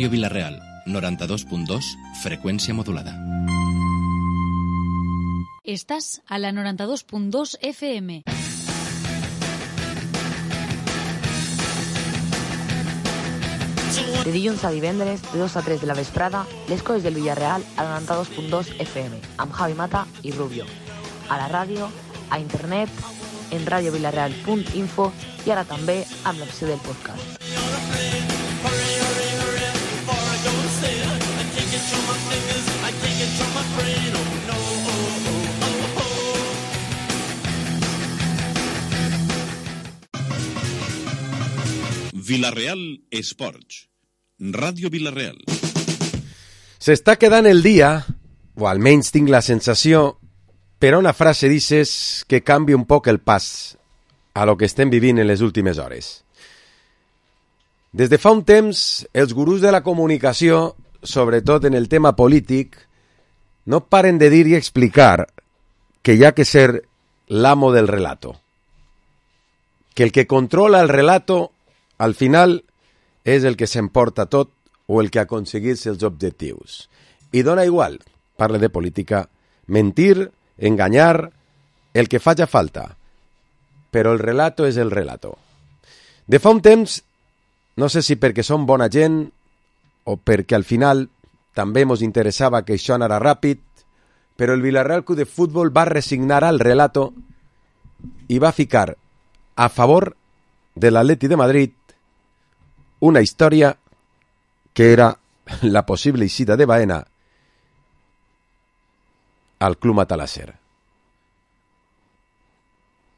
Radio Vilareal, 92.2, frecuencia modulada. Estàs a la 92.2 FM. De dilluns a divendres, de 2 a 3 de la vesprada, les coses del Villarreal a la 92.2 FM, amb Javi Mata i Rubio. A la ràdio, a internet, en radiovilareal.info i ara també amb l'opció del podcast. Vilareal Esports. Ràdio Vilareal. S'està quedant el dia, o almenys tinc la sensació, per una frase dices que canvia un poc el pas a lo que estem vivint en les últimes hores. Des de fa un temps, els gurús de la comunicació, sobretot en el tema polític, no paren de dir i explicar que hi ha que ser l'amo del relato. Que el que controla el relato, al final, és el que s'emporta tot o el que aconsegueix els objectius. I dona igual, parla de política, mentir, enganyar, el que faci falta. Però el relato és el relato. De fa un temps, no sé si perquè som bona gent o perquè al final també ens interessava que això anara ràpid, però el Villarreal Club de Futbol va resignar al relato i va ficar a favor de l'Atleti de Madrid una història que era la possible eixida de Baena al Club Matalasser.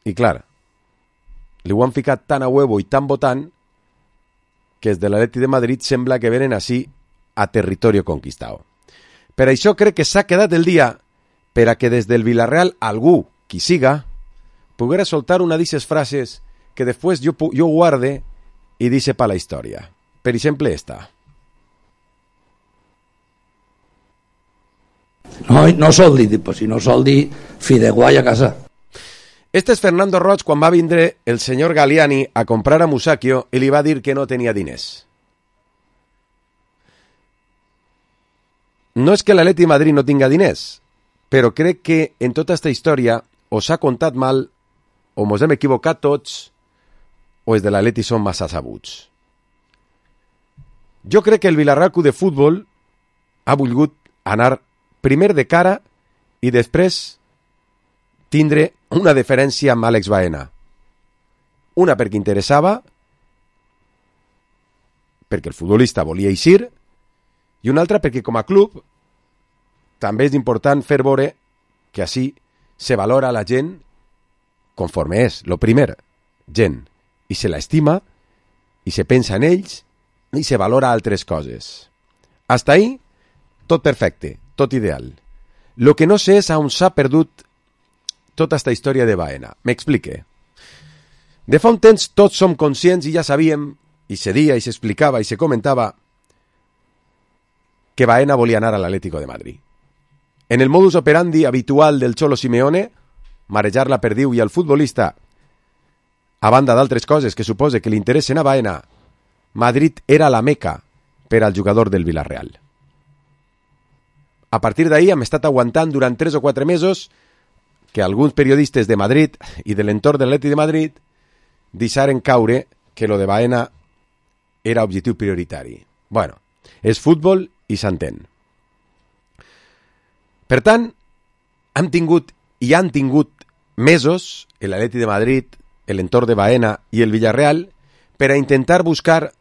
I clar, li ho han ficat tan a huevo i tan votant que els de l'Atleti de Madrid sembla que venen així a territori conquistado. Per això crec que s'ha quedat el dia per a que des del Villarreal algú, qui siga, poguera soltar una d'aquestes frases que després jo guarde i dice pa la història. Per exemple, esta. No soldi, pues si no soldi, Fideguai a casa. Este és Fernando Roig quan va vindre el senyor Galliani a comprar a Musacchio i li va dir que no tenia diners. No és que l'Atleti de Madrid no tinga diners, però crec que en tota aquesta història o s'ha contat mal o mos hem equivocat tots o els de l'Atleti són massa sabuts. Jo crec que el Villarreal Club de Futbol ha volgut anar primer de cara i després tindre una diferència amb Àlex Baena. Una perquè interessava, perquè el futbolista volia eixir, i una altra perquè com a club també és important fer veure que així se valora la gent conforme és, lo primer, gent, i se l'estima, i se pensa en ells, i se valora altres coses. Hasta ahí, tot perfecte, tot ideal. Lo que no sé és on s'ha perdut tota esta història de Baena. M'explique. De fa un temps tots som conscients i ja sabíem, i se dia, i s'explicava, i se comentava que Baena volia anar a l'Atlético de Madrid. En el modus operandi habitual del Cholo Simeone, marejar la perdiu i al futbolista, a banda d'altres coses que supose que li interessen a Baena, Madrid era la meca per al jugador del Villarreal. A partir d'ahir hem estat aguantant durant 3 o 4 mesos que alguns periodistes de Madrid i de l'entorn de l'Atleti de Madrid deixaren caure que lo de Baena era objectiu prioritari. Bueno, és futbol i s'entén. Per tant, han tingut i han tingut mesos l'Atleti de Madrid, l'entorn de Baena i el Villarreal per a intentar buscar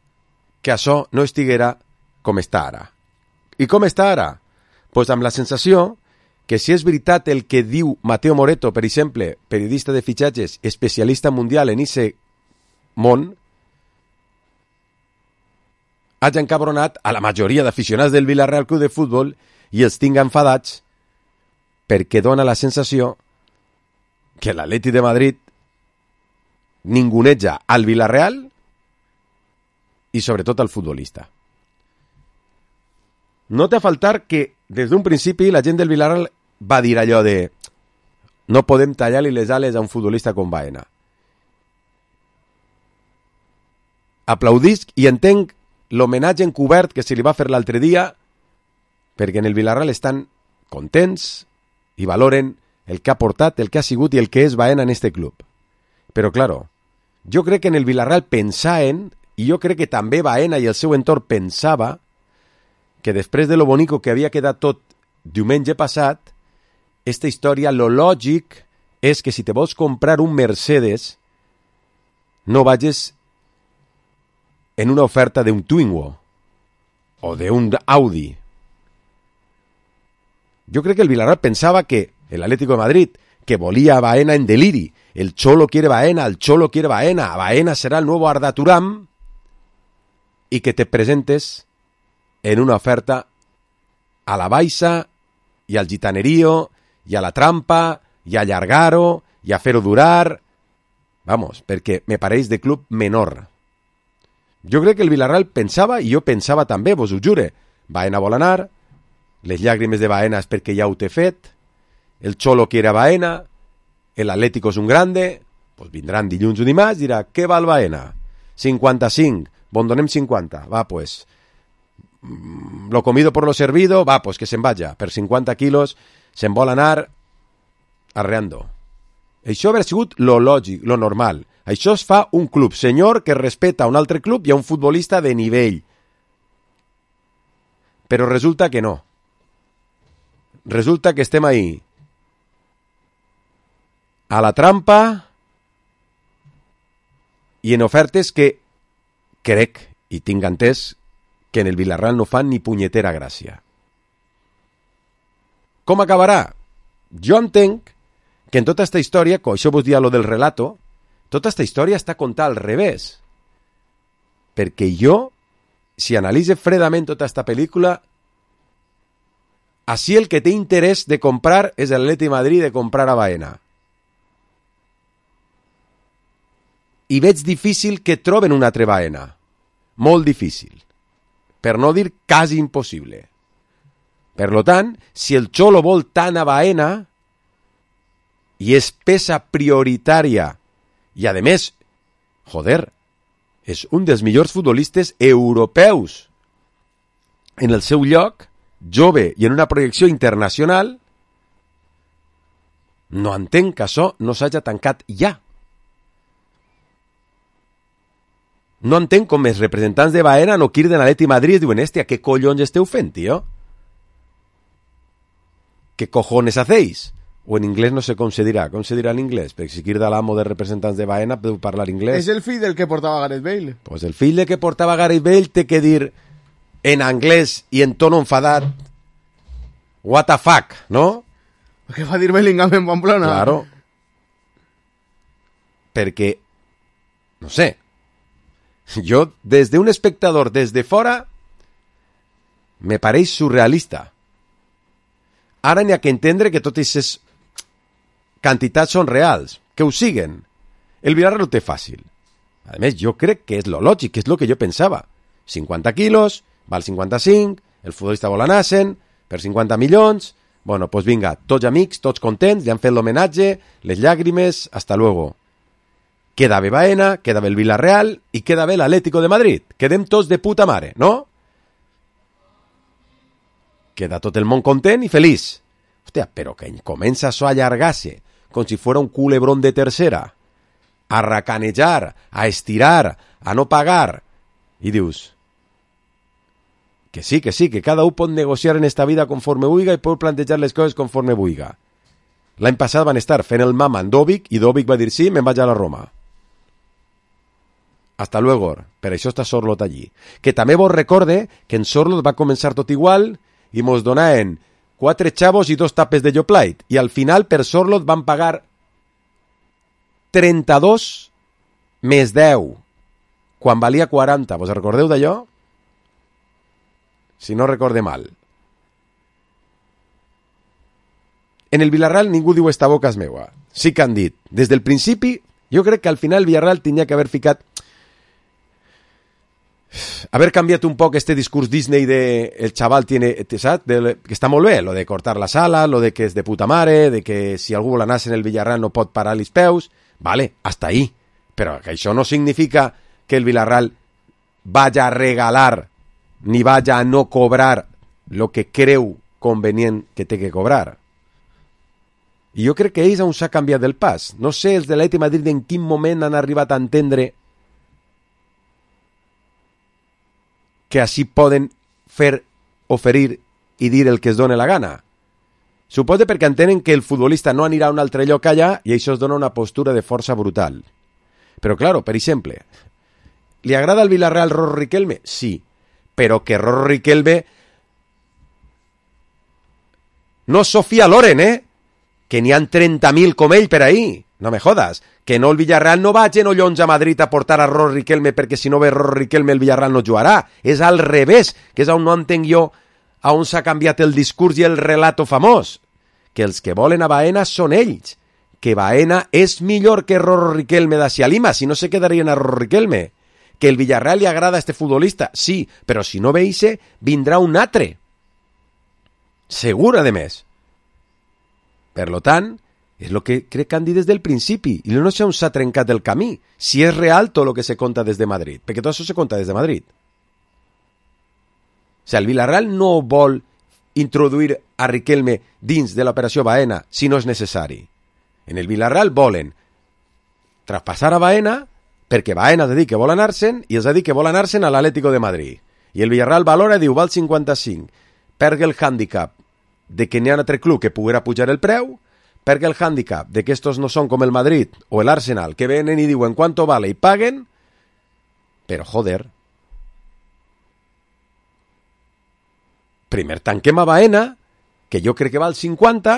que això no estiguera com està ara. I com està ara? Pues amb la sensació que si és veritat el que diu Mateo Moreto, per exemple, periodista de fitxatges, especialista mundial en ese món, hagi encabronat a la majoria d'aficionats del Villarreal Club de Futbol i els tinga enfadats perquè dona la sensació que l'Atleti de Madrid ninguneja al Villarreal i sobretot al futbolista. No té a faltar que des d'un principi la gent del Villarreal va dir allò de no podem tallar-li les ales a un futbolista com Baena. Aplaudisc i entenc l'homenatge encobert que se li va fer l'altre dia, perquè en el Villarreal estan contents i valoren el que ha portat, el que ha sigut i el que és Baena en este club. Però, claro, jo crec que en el Villarreal pensaven, i jo crec que també Baena i el seu entorn pensava, que després de lo bonico que havia quedat tot diumenge passat, esta història, lo lògic és que si te vols comprar un Mercedes, no vagis en una oferta d'un Twingo o d'un Audi. Jo crec que el Villarreal pensava que el Atlético de Madrid, que volia a Baena en deliri, el Cholo quiere Baena, el Cholo quiere Baena, Baena será el nuevo Arda Turam, y que te presentes en una oferta a la Baixa i al Gitanerío i a la Trampa i a Llargaro i a fer-ho durar. Vamos, perquè me pareix de club menor. Jo crec que el Villarreal pensava, i jo pensava també, vos ho jure, Baena vol anar, les llàgrimes de Baena és perquè ja ho té fet, el Cholo quiere a Baena, el Atlético és un grande, pues vindran dilluns o dimarts, dirà, què val Baena? 55, bon donem 50, va, pues, lo comido por lo servido, va, pues que se'n vaya, per 50 quilos se'n vol anar arreando. Això hauria sigut lo lògic, lo normal. Això es fa un club senyor que respeta un altre club i a un futbolista de nivell. Però resulta que no. Resulta que estem ahí a la trampa i en ofertes que crec i tinc entès que en el Villarreal no fan ni punyetera gràcia. Com acabarà? Jo entenc que en tota esta història, com això vos dia lo del relato, tota esta història està contada al revés. Perquè jo, si analitze fredament tota esta pel·lícula, així el que té interès de comprar és l'Atleti de Madrid de comprar a Baena. I veig difícil que troben un altre Baena. Molt difícil. Per no dir quasi impossible. Per lo tant, si el Cholo vol tant a Baena i és peça prioritària i, a més, joder, és un dels millors futbolistes europeus en el seu lloc, jove i en una projecció internacional, no entenc que això no s'hagi tancat ja. No entenc com els representants de Baena no criden a l'Atleti Madrid i diuen, hòstia, què collons esteu fent, tio? ¿Qué cojones hacéis? O en inglés no sé com se dirà en inglés, perquè si crida l'amo de representants de Baena podeu parlar inglès. És el fill del que portava Gareth Bale. Pues el fill del que portava Gareth Bale té que dir en anglès i en tono enfadat what the fuck, ¿no? Què va dir Bellingham en Pamplona? Claro. Perquè, no sé, jo, des d'un espectador, des de fora, me pareix surrealista. Ara n'hi ha que entendre que totes aquestes quantitats són reals, que ho siguen. El Villarreal ho té fàcil. A més, jo crec que és lo lògic, que és lo que jo pensava. 50 quilos, val 55, el futbolista vol anar-se'n, per 50 milions, bueno, pues vinga, tots amics, tots contents, li han fet l'homenatge, les llàgrimes, hasta luego. Queda bé Baena, queda bé el Villarreal i queda bé l'Atlético de Madrid. Quedem tots de puta mare, no? Queda tot el món content i feliç. Hòstia, però que comença això a allargar-se, com si fos un culebrón de tercera, a racanejar, a estirar, a no pagar. I dius, que sí, que cada un pot negociar en esta vida conforme vulga i pot plantejar les coses conforme vulga. L'any passat van estar fent el mama en Dovic i Dovic va dir sí, me'n vaig a la Roma. Hasta luego. Per això està Sorlot allí. Que també vos recorde que en Sorlot va començar tot igual i mos donaven 4 xavos i 2 tapes de Yoplait. I al final per Sorlot van pagar 32 més 10, quan valia 40. Vos recordeu d'allò? Si no recorde mal. En el Villarreal ningú diu esta boca és meua. Sí que han dit. Des del principi, jo crec que al final el Villarreal tenia que haver ficat... haver canviat un poc este discurs Disney de el chaval tiene, ¿sabes? Que està molt bé, lo de cortar la sala, lo de que és de puta mare, de que si algú vol anar en el Villarreal no pot parar els peus, vale, hasta ahí. Però que això no significa que el Villarreal vaya a regalar ni vaya a no cobrar lo que creu convenient que té que cobrar. I jo crec que ells on s'ha canviat el pas. No sé els de l'Atlètic de Madrid en quin moment han arribat a entendre que així poden fer, oferir i dir el que es dona la gana. Suposo perquè entenen que el futbolista no anirà a un altre lloc allà i això es dona una postura de força brutal. Però, claro, per exemple, ¿li agrada al Villarreal Rorro Riquelme? Sí, pero que Rorro Riquelme no Sofía Loren, que n'hi ha 30.000 com ell per ahí. No me jodas. Que no el Villarreal no vagi en Ollons a Madrid a portar a Rorro Riquelme perquè si no ve Rorro Riquelme el Villarreal no jugarà. És al revés, que és on no entenc jo a on s'ha canviat el discurs i el relato famós. Que els que volen a Baena són ells. Que Baena és millor que Rorro Riquelme d'Asia Lima, si no se quedarien a Rorro Riquelme. Que el Villarreal li agrada a este futbolista, sí, però si no veixe, vindrà un altre. Segur, a més. Per lo tant, és el que crec que han dit des del principi, i no sé on s'ha trencat el camí, si és real tot el que se conta des de Madrid, perquè tot això se conta des de Madrid. O sigui, el Villarreal no vol introduir a Riquelme dins de l'operació Baena si no és necessari. En el Villarreal volen traspassar a Baena perquè Baena ha de dir que vol anar-se'n i els ha dit que vol anar-se'n a l'Atlético de Madrid. I el Villarreal valora i diu, val 55, pergue el hàndicap de que n'hi ha un altre club que poguera pujar el preu, perquè el hàndicap de que estos no són com el Madrid o el Arsenal, que venen i diuen quanto vale i paguen, però joder, primer tanquem a Baena, que jo crec que val 50,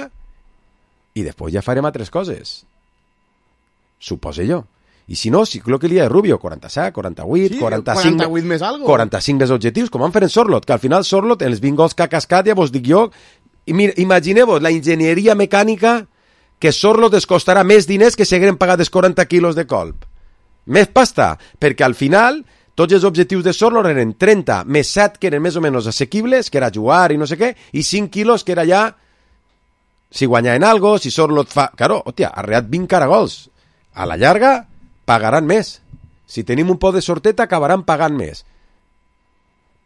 i després ja farem altres coses. Supose jo. I si no, si el que li ha de Rubio, 47, 48, Sí, 45... 48 més algo. 45 més objectius, com van fer en Sorlot, que al final Sorlot, en els 20 gols que ha cascat, ja vos dic jo, i imagineu-vos la enginyeria mecànica que Sorlot es costarà més diners que si hagueren pagat els 40 quilos de colp. Més pasta, perquè al final tots els objectius de Sorlot eren 30 més 7 que eren més o menys assequibles, que era jugar i no sé què, i 5 quilos que era ja si guanyaven algo, si Sorlot fa... Claro, hòstia, ha reat 20 caragols. A la llarga pagaran més. Si tenim un pot de sorteta acabaran pagant més.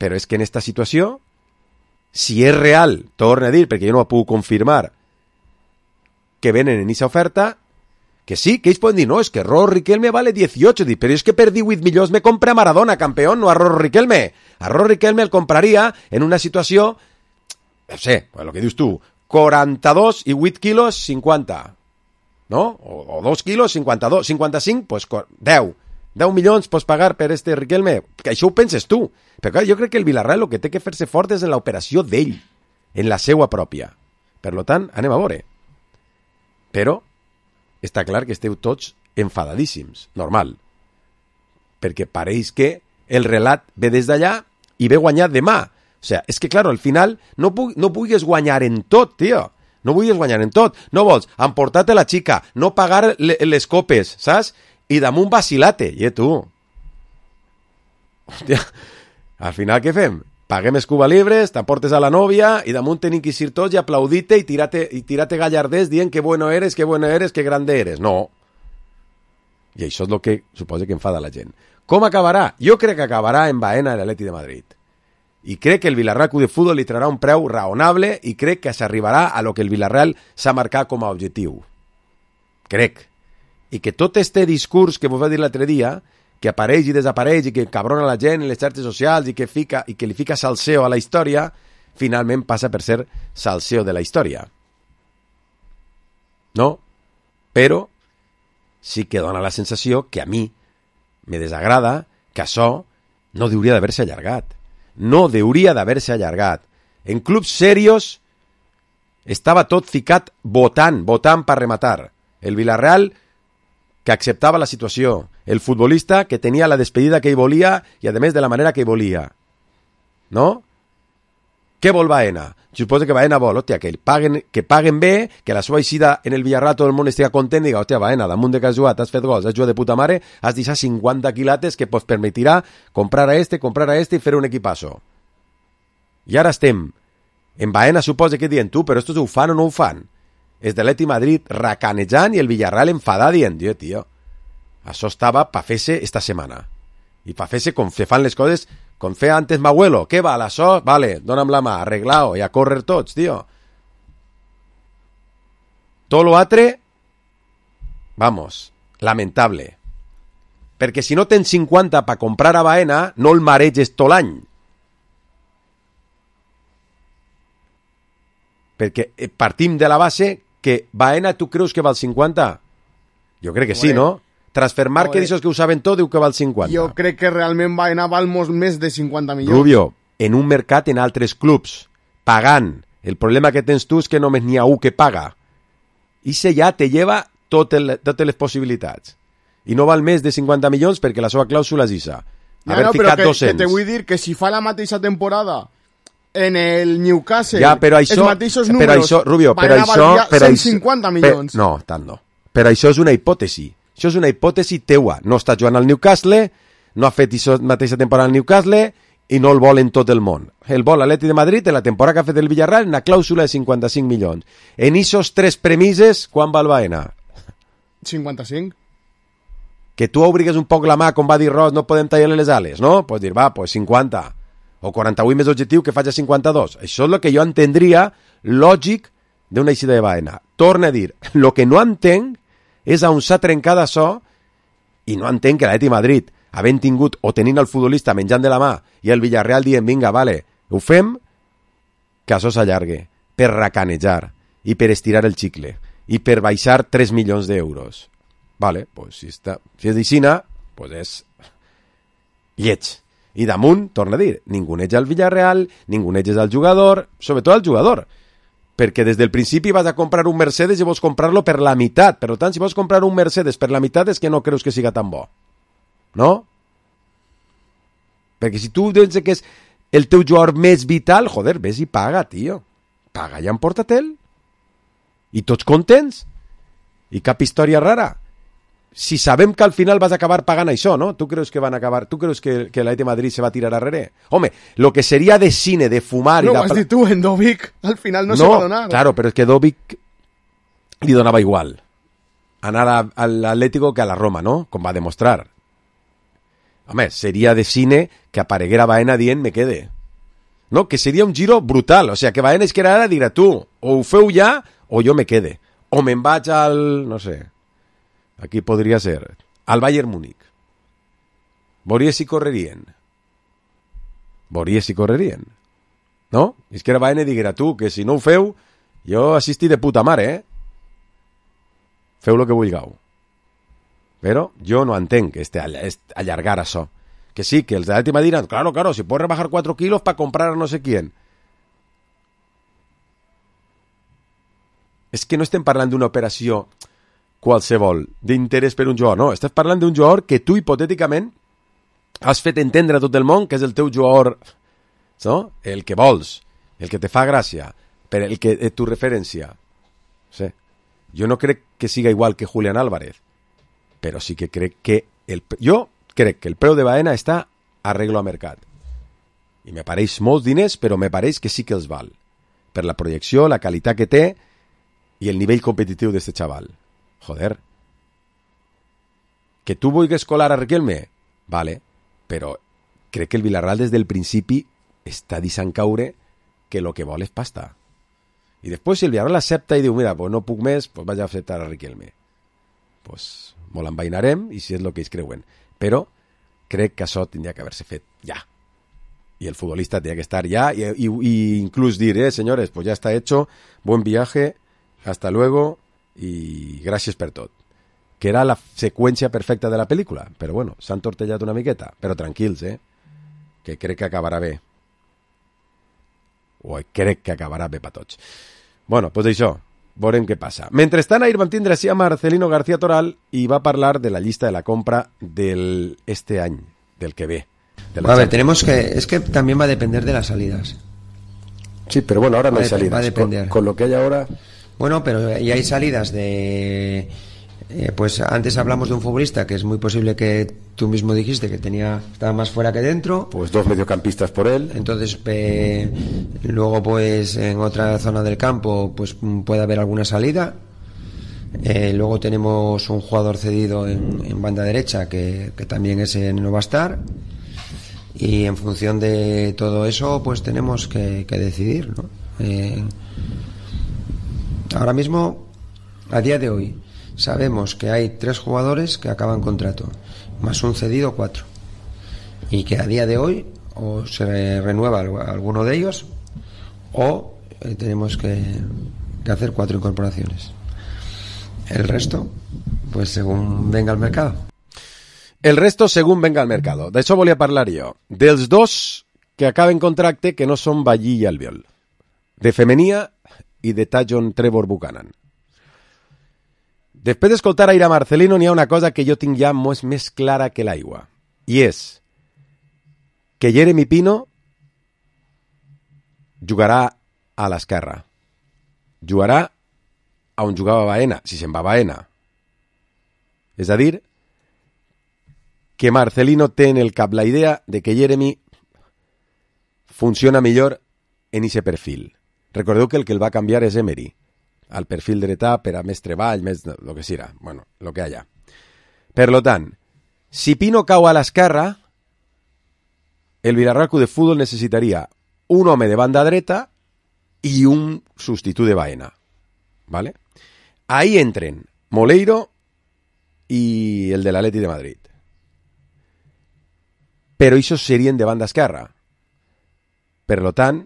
Però és que en esta situació, si és real, torno a dir, perquè jo no ho puc confirmar, que venen en aquesta oferta, que sí, que ells poden dir, no, és que Rorro Riquelme vale 18, dic, però és que per 18 milions me compra a Maradona, campeón, no a Rorro Riquelme. A Rorro Riquelme el compraria en una situació, no sé, el que dius tu, 42 i 8 quilos, 50, no? O 2 quilos, 52, 55, pues 10 milions pots pagar per este Riquelme, que això ho penses tu. Però clar, jo crec que el Villarreal el que té que fer-se fort és en l'operació d'ell, en la seua pròpia. Per lo tant, anem a veure. Però està clar que esteu tots enfadadíssims, normal. Perquè pareix que el relat ve des d'allà i ve guanyat demà. O sigui, és que, clar, al final no pugues guanyar en tot, tio. No vulguis guanyar en tot. No vols emportar-te la xica, no pagar les copes, saps? I damunt vacilate. I tu? Hòstia, al final què fem? Paguem els Cuba Libres, t'emportes a la nòvia i damunt tenim que ir tots i aplaudir-te i tirar-te gallarders dient que bueno eres, que grande eres. No. I això és el que suposa que enfada la gent. Com acabarà? Jo crec que acabarà en Baena a l'Atlètic de Madrid. I crec que el Villarreal Club de Futbol li traurà un preu raonable i crec que s'arribarà a lo que el Villarreal s'ha marcat com a objectiu. Crec. I que tot este discurs que vos va dir l'altre dia, que apareix i desapareix i que cabrona la gent en les xarxes socials i que li fica salseo a la història, finalment passa per ser salseo de la història. No? Però sí que dona la sensació que a mi me desagrada que això no hauria d'haver-se allargat. No hauria d'haver-se allargat. En clubs serios estava tot ficat votant per rematar. El Villarreal que acceptava la situació, el futbolista que tenia la despedida que ell volia i a més de la manera que ell volia. No? Què vol Baena? Suposo que Baena vol, hòstia, que paguen bé, que la seva eixida en el Villarreal tot el món estigui content i diga, hòstia, Baena, damunt de que has jugat, has fet gols, has jugat de puta mare, has deixat 50 quilates que pues permetirà comprar a este i fer un equipasso. I ara estem en Baena, suposa que diuen tu, però estos ho fan o no ho fan? És de l'Atlètic Madrid racanejant i el Villarreal enfadat dient, tio, això estava pa fer-se esta setmana. I pa fer-se com se fan les coses, com feia antes m'abuelo. Què val, això? Vale, dona'm la mà, arreglao, i a córrer tots, tio. Tot lo altre, vamos, lamentable. Perquè si no tens 50 per comprar a Baena, no el mareges tot l'any. Perquè partim de la base que Baena tu creus que val 50? Jo crec que sí, no? Transfermarket, aquests que ho saben tot, diu que val 50. Jo crec que realment Baena val molt més de 50 milions. Rubio, en un mercat en altres clubs, pagant. El problema que tens tu és que només n'hi ha un que paga. I se ja te lleva totes les possibilitats. I no val més de 50 milions perquè la seva clàusula és isa. Haver ficat 200. Que te vull dir que si fa la mateixa temporada en el Newcastle, ja, però això, els mateixos números, però això, Rubio, Baena valdria 150 milions. No, tant no. Però això és una hipòtesi. Això és una hipòtesi teua. No està jugant al Newcastle, no ha fet la mateixa temporada al Newcastle i no el vol en tot el món. El vol l'Atlètic de Madrid en la temporada que ha fet el Villarreal en una clàusula de 55 milions. En esos tres premises, quan val Baena? 55. Que tu obrigues un poc la mà, com va dir Ross, no podem tallar les ales, no? Pots dir, va, pues 50. O 48 més objectiu que faig a 52. Això és el que jo entendria lògic d'una eixida de Baena. Torna a dir, el que no entenc és on s'ha trencat això i no entenc que l'Atlètic de Madrid, havent tingut o tenint el futbolista menjant de la mà i el Villarreal dient, vinga, vale, ho fem, que això s'allargue per racanejar i per estirar el xicle i per baixar 3 milions d'euros. Vale, pues si és d'Ixina, pues és lleig. I damunt, torna a dir, ningú neig al Villarreal, ningú neig al jugador, sobretot al jugador, perquè des del principi vas a comprar un Mercedes i vols comprar-lo per la meitat. Per tant, si vols comprar un Mercedes per la meitat és que no creus que siga tan bo. No? Perquè si tu dius que és el teu jugador més vital, joder, ves i paga, tio. Paga i emporta-te'l. I tots contents. I cap història rara. Si sabem que al final vas acabar pagant això, ¿no? ¿Tú crees que van a acabar? ¿Tú crees que el Atlètic de Madrid se va a tirar a rere? Home, lo que sería de cine, de fumar... No, has dit tu, en Dovic, al final no se va a donar. Claro, pero es que Dovic li donava igual anar al Atlético que a la Roma, ¿no? Com va demostrar. Home, seria de cine que apareguera Baena dient me quede. No, que seria un giro brutal. O sea, que Baena es que ara dirà tu, o ho feu ja, o jo me quede. O me'n vaig al... no sé... Aquí podria ser al Bayern Múnich. Veuria si correrien. No? És que era Baena i diguera tu, que si no ho feu, jo assisti de puta mare, Feu lo que vulgueu. Però jo no entenc allargar això. Que sí, que els de l'Atlètic diran, claro, si puedes rebajar 4 kilos para comprar a no sé quién. És que no estem parlant d'una operació qualsevol, d'interès per un jugador, no, estàs parlant d'un jugador que tu hipotèticament has fet entendre a tot el món que és el teu jugador, no? El que vols, el que te fa gràcia, per el que és tu referència. Sí. Jo no crec que siga igual que Julián Álvarez, però sí que crec que jo crec que el preu de Baena està arreglo a mercat. I me pareix molts diners, però me pareix que sí que els val. Per la projecció, la qualitat que té i el nivell competitiu d'este xaval. Joder. Que tu vulguis colar a Riquelme? Vale, però crec que el Villarreal des del principi està deixant caure que lo que vol és pasta. I després si el Villarreal accepta i diu, mira, pues no puc més, pues vaig a acceptar a Riquelme. Pues molt envainarem i si és el que ells creuen. Però crec que això tindria que haver-se fet ja. Y el futbolista tendría que estar ya y incluso dir, señores, pues ya está hecho, buen viaje, hasta luego y gracias per tot. Que era la seqüència perfecta de la pel·lícula, però bueno, s'han tortellat una miqueta, però tranquils, que crec que acabarà bé. O crec que acabarà bé per tots. Bueno, doncs això, veurem què passa. Mentrestant, ahir vam tindre així a Marcelino García Toral i va parlar de la llista de la compra este any, del que ve. A ver, tenemos que... Es que también va a depender de las salidas. Sí, pero bueno, ahora no hay salidas. Va a depender. Con lo que hay ahora... Bueno, pero ya hay salidas de... pues antes hablamos de un futbolista que es muy posible que tú mismo dijiste que estaba más fuera que dentro. Pues 2 mediocampistas por él. Entonces, luego pues en otra zona del campo pues puede haber alguna salida. Luego tenemos un jugador cedido en banda derecha que también ese no va a estar. Y en función de todo eso, pues tenemos que decidir, ¿no? Ahora mismo, a día de hoy, sabemos que hay 3 jugadores que acaban contrato, más un cedido 4. Y que a día de hoy o se renueva alguno de ellos o tenemos que hacer 4 incorporaciones. El resto, pues según venga el mercado. El resto según venga el mercado. D'això volia parlar jo. Dels 2 que acaben contracte que no són Ballí i Albiol. De Femenia i de Tajon Trevor Buchanan. Després d'escoltar a Ira Marcelino n'hi ha una cosa que jo tinc ja més clara que l'aigua. I és que Jeremy Pino jugarà a l'esquerra. Jugarà on jugava Baena, si se'n va Baena. És a dir, que Marcelino té en el cap la idea de que Jeremy funciona millor en ese perfil. Recordeu que el va canviar és Emery, al perfil dretà per a més treball, més lo que siga, bueno, lo que haya. Per lo tant, si Pino cau a l'esquerra, el Villarreal Club de Fútbol necessitaria un home de banda dreta i un substitut de Baena. ¿Vale? Ahí entren Moleiro i el de l'Atleti de Madrid. Però ells serien de banda esquerra. Per lo tant,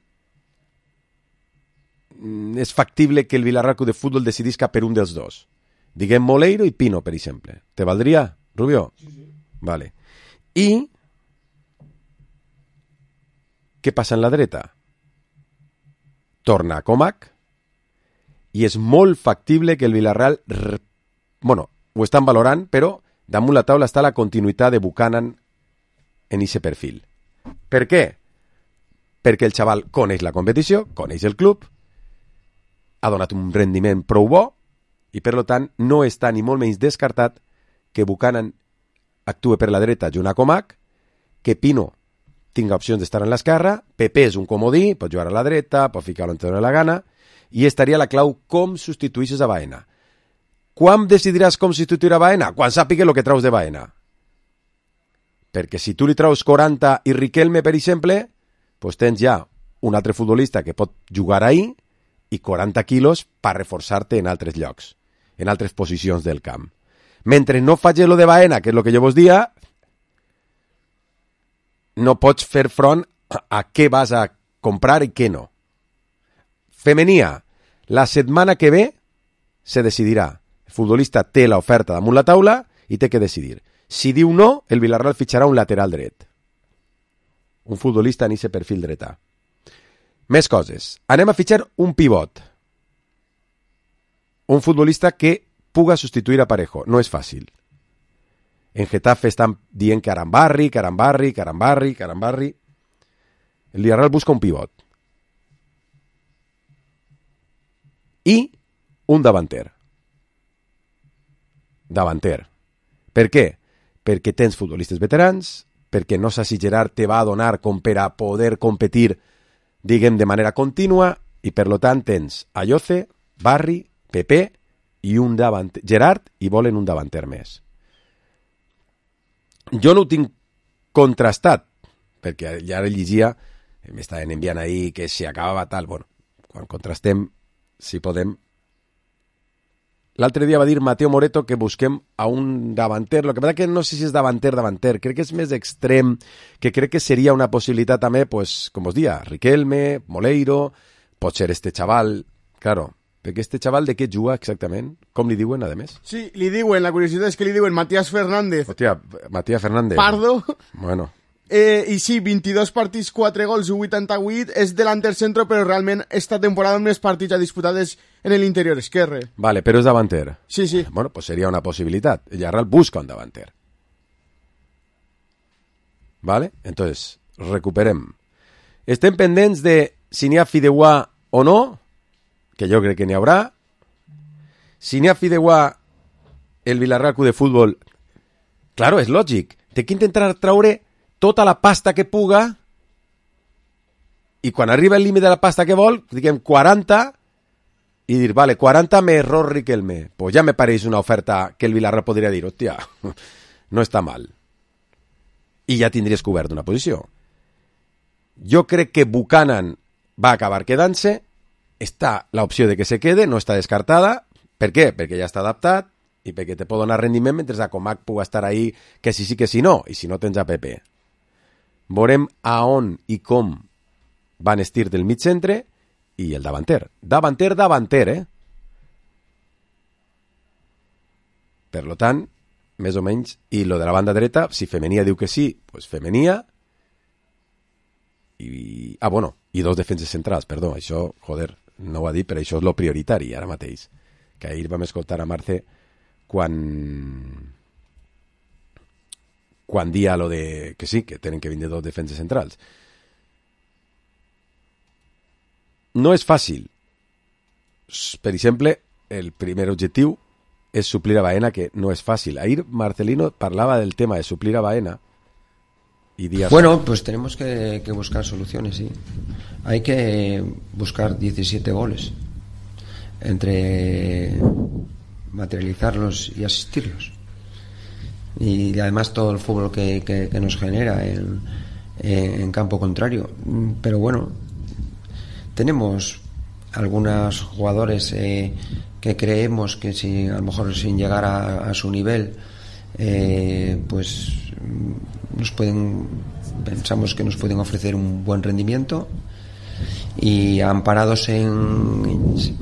és factible que el Villarreal Club de Fútbol decidisca per un dels 2. Diguem Moleiro i Pino, per exemple. Te valdria, Rubio? Sí. Vale. I què passa en la dreta? Torna a Comac i és molt factible que el Villarreal ho estan valorant, però damunt la taula està la continuïtat de Buchanan en ese perfil. Per què? Perquè el xaval coneix la competició, coneix el club, ha donat un rendiment prou bo i per tant no està ni molt menys descartat que Buchanan actue per la dreta junt a Comac, que Pino tinga opcions d'estar en l'esquerra, Pepe és un comodí, pot jugar a la dreta, pot ficar-lo on te doni la gana, i estaria la clau com substituïsses a Baena. Quan decidiràs com substituir a Baena? Quan sàpiga el que traus de Baena. Perquè si tu li traus 40 i Riquelme, per exemple, pues tens ja un altre futbolista que pot jugar ahí i 40 quilos per reforçar-te en altres llocs, en altres posicions del camp. Mentre no faig lo de Baena, que és el que jo vos dia, no pots fer front a què vas a comprar i què no. Femenia, la setmana que ve se decidirà. El futbolista té l'oferta damunt la taula i té que decidir. Si diu no, el Villarreal fitxarà un lateral dret. Un futbolista en ese perfil dretà. Més coses. Anem a fitxar un pivot. Un futbolista que puga substituir a Parejo. No és fàcil. En Getafe estan dient que Arambarri. El Villarreal busca un pivot. I un davanter. Per què? Perquè tens futbolistes veterans, perquè no sé si Gerard te va a donar com per a poder competir, diguem, de manera contínua, i per lo tant tens Ayoce, Barri, Pepe i un davanter. Gerard, i volen un davanter més. Jo no ho tinc contrastat, perquè ja llegia, m'estaven enviant ahir que si acabava tal, bueno, quan contrastem, si podem. L'altre dia va dir Mateo Moreto que busquem a un davanter, el que passa que no sé si és davanter, crec que és més extrem, que crec que seria una possibilitat també, pues, com us dia, Riquelme, Moleiro, pot ser este xaval, claro, perquè este xaval de què juga exactament? Com li diuen, a més? Sí, li diuen, la curiositat és que li diuen Matías Fernández. Hòstia, Matías Fernández. Pardo. Bueno. I sí, 22 partits, 4 gols, 88, és delanter centro, però realment esta temporada més partits ha disputat en l'interior esquerre. Vale, però és davanter. Sí, sí. Bueno, pues seria una possibilitat. El Villarreal busca un davanter. Vale? Entonces, recuperem. Estem pendents de si n'hi ha fideuà o no, que jo crec que n'hi haurà. Si n'hi ha fideuà el Villarreal Club de Fútbol, claro, és lògic. Té que intentar traure tota la pasta que puga i quan arriba el límit de la pasta que vol, diguem 40, y decir, vale, 40 me error Riquelme, pues ya me parece una oferta que el Villarreal podría decir, hostia, no está mal. Y ya tindries cobert una posició. Jo crec que Buchanan va acabar quedant-se, està l'opció de que se quede, no està descartada. Per què? Perquè ja està adaptat i perquè te pot donar rendiment mentre a Comac pugui estar ahí que sí que sí no, i si no tens a Pepe. Veurem a on i com van estir del mig centre i el davanter. Davanter, Per lo tant, més o menys, i lo de la banda dreta, si Femenia diu que sí, pues Femenia, i dos defenses centrals, perdó, això, joder, no ho ha dit, però això és lo prioritari ara mateix. Que ahir vam escoltar a Marce quan dia lo de que sí, que tenen que vindre dos defenses centrals. No és fàcil. Per exemple, el primer objectiu és suplir a Baena, que no es fácil. Ahir Marcelino parlava del tema de suplir a Baena y Díaz. Bueno, pues tenemos que buscar soluciones, sí. Hay que buscar 17 goles entre materializarlos y asistirlos. Y además todo el fútbol que nos genera en campo contrario. Pero bueno, tenemos algunos jugadores que creemos que si a lo mejor sin llegar a su nivel pues pensamos que nos pueden ofrecer un buen rendimiento, y amparados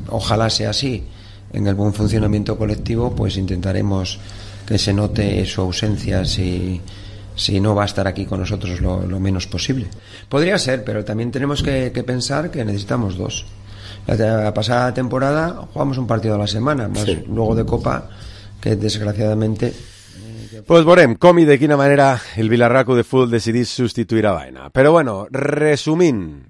ojalá sea así, en el buen funcionamiento colectivo, pues intentaremos que se note su ausencia si no va a estar aquí con nosotros lo menos posible. Podría ser, pero también tenemos que pensar que necesitamos dos. La pasada temporada jugamos un partido a la semana, más sí. Luego de Copa, que desgraciadamente... Pues veurem com i de quina manera el Villarreal Club de Futbol decidís substituir a Baena. Però bueno, resumint,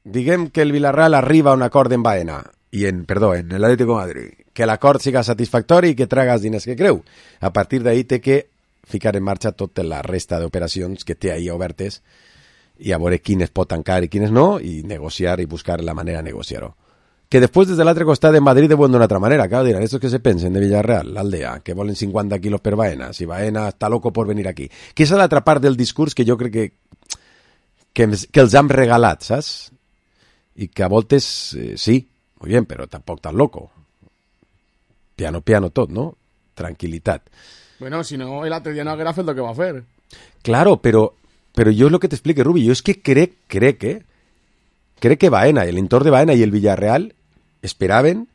diguem que el Villarreal arriba a un acord en Baena, en l'Atlético de Madrid, que l'acord siga satisfactori i que traga els diners que creu. A partir d'ahí té que ficar en marxa tota la resta d'operacions que té ahí obertes i a veure quines pot tancar i quines no, i negociar i buscar la manera de negociar-ho. Que després des de l'altre costat de Madrid deuen d'una altra manera, claro, diran, estos que se pensen de Villarreal, l'Aldea, que volen 50 quilos per Baena, si Baena està loco por venir aquí. Que és l'altra part del discurs que jo crec que els han regalat, saps? I que a voltes, sí, muy bien, però tampoc tan loco. Piano, tot, no? Tranquilitat. Bueno, si no, el altre dia no haguera fet el que va fer. Claro, però jo és el que t'explique, Rubi, jo és que crec que Baena, el entorn de Baena i el Villarreal esperaven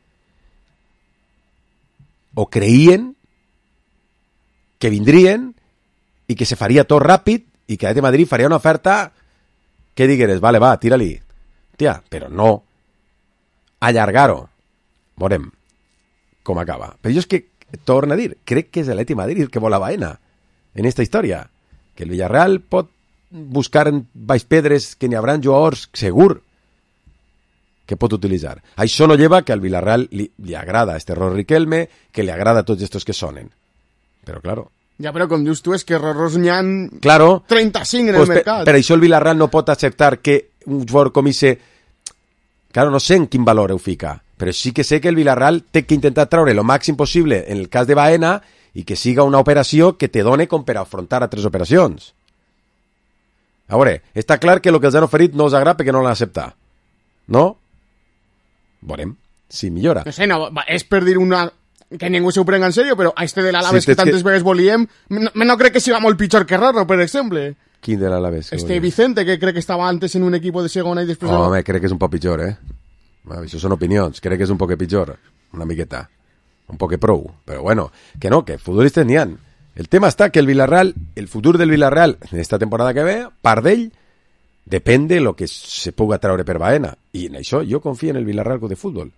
o creien que vindrien i que se faria tot ràpid i que de Madrid faria una oferta que digueres, vale, va, tira-li. Tia, però no allargar-ho. Veurem com acaba. Però jo és que, torno a dir, crec que és l'Atleti Madrid el que vol a Baena en esta història. Que el Villarreal pot buscar en baix pedres que n'hi haurà jugadors segur que pot utilitzar. Això no lleva que al Villarreal li agrada este error Riquelme, que li agrada tots estos que sonen. Però, claro... Ja, però com dius tu, és que errors n'hi ha 35 en pues el mercat. Per això el Villarreal no pot acceptar que un jugador com ese... Claro, no sé en quin valor ho fica, però sí que sé que el Villarreal té que intentar treure lo màxim possible en el cas de Baena i que siga una operació que te done com per afrontar altres operacions. A veure, està clar que el que els han oferit no us agrada perquè no l'han acceptat. No? Veurem si millora. No sé, no, és per dir una... que ningú s'ho prenga en sèrio, però a este de l'Alaves que tantes vegades volíem, no crec que siga molt pitjor que Rorro, per exemple. Quin de l'Alaves? Vicente, que crec que estava antes en un equip de segona i després... Home, crec que és un poc pitjor, Això són opinions. Crec que és un poc pitjor. Una miqueta. Un poc prou. Però bueno, que no, que futbolistes n'hi ha. El tema està que el Villarreal, el futur del Villarreal en esta temporada que ve, part d'ell, depèn de lo que se puga treure per Baena. I en això jo confio en el Villarreal de futbol.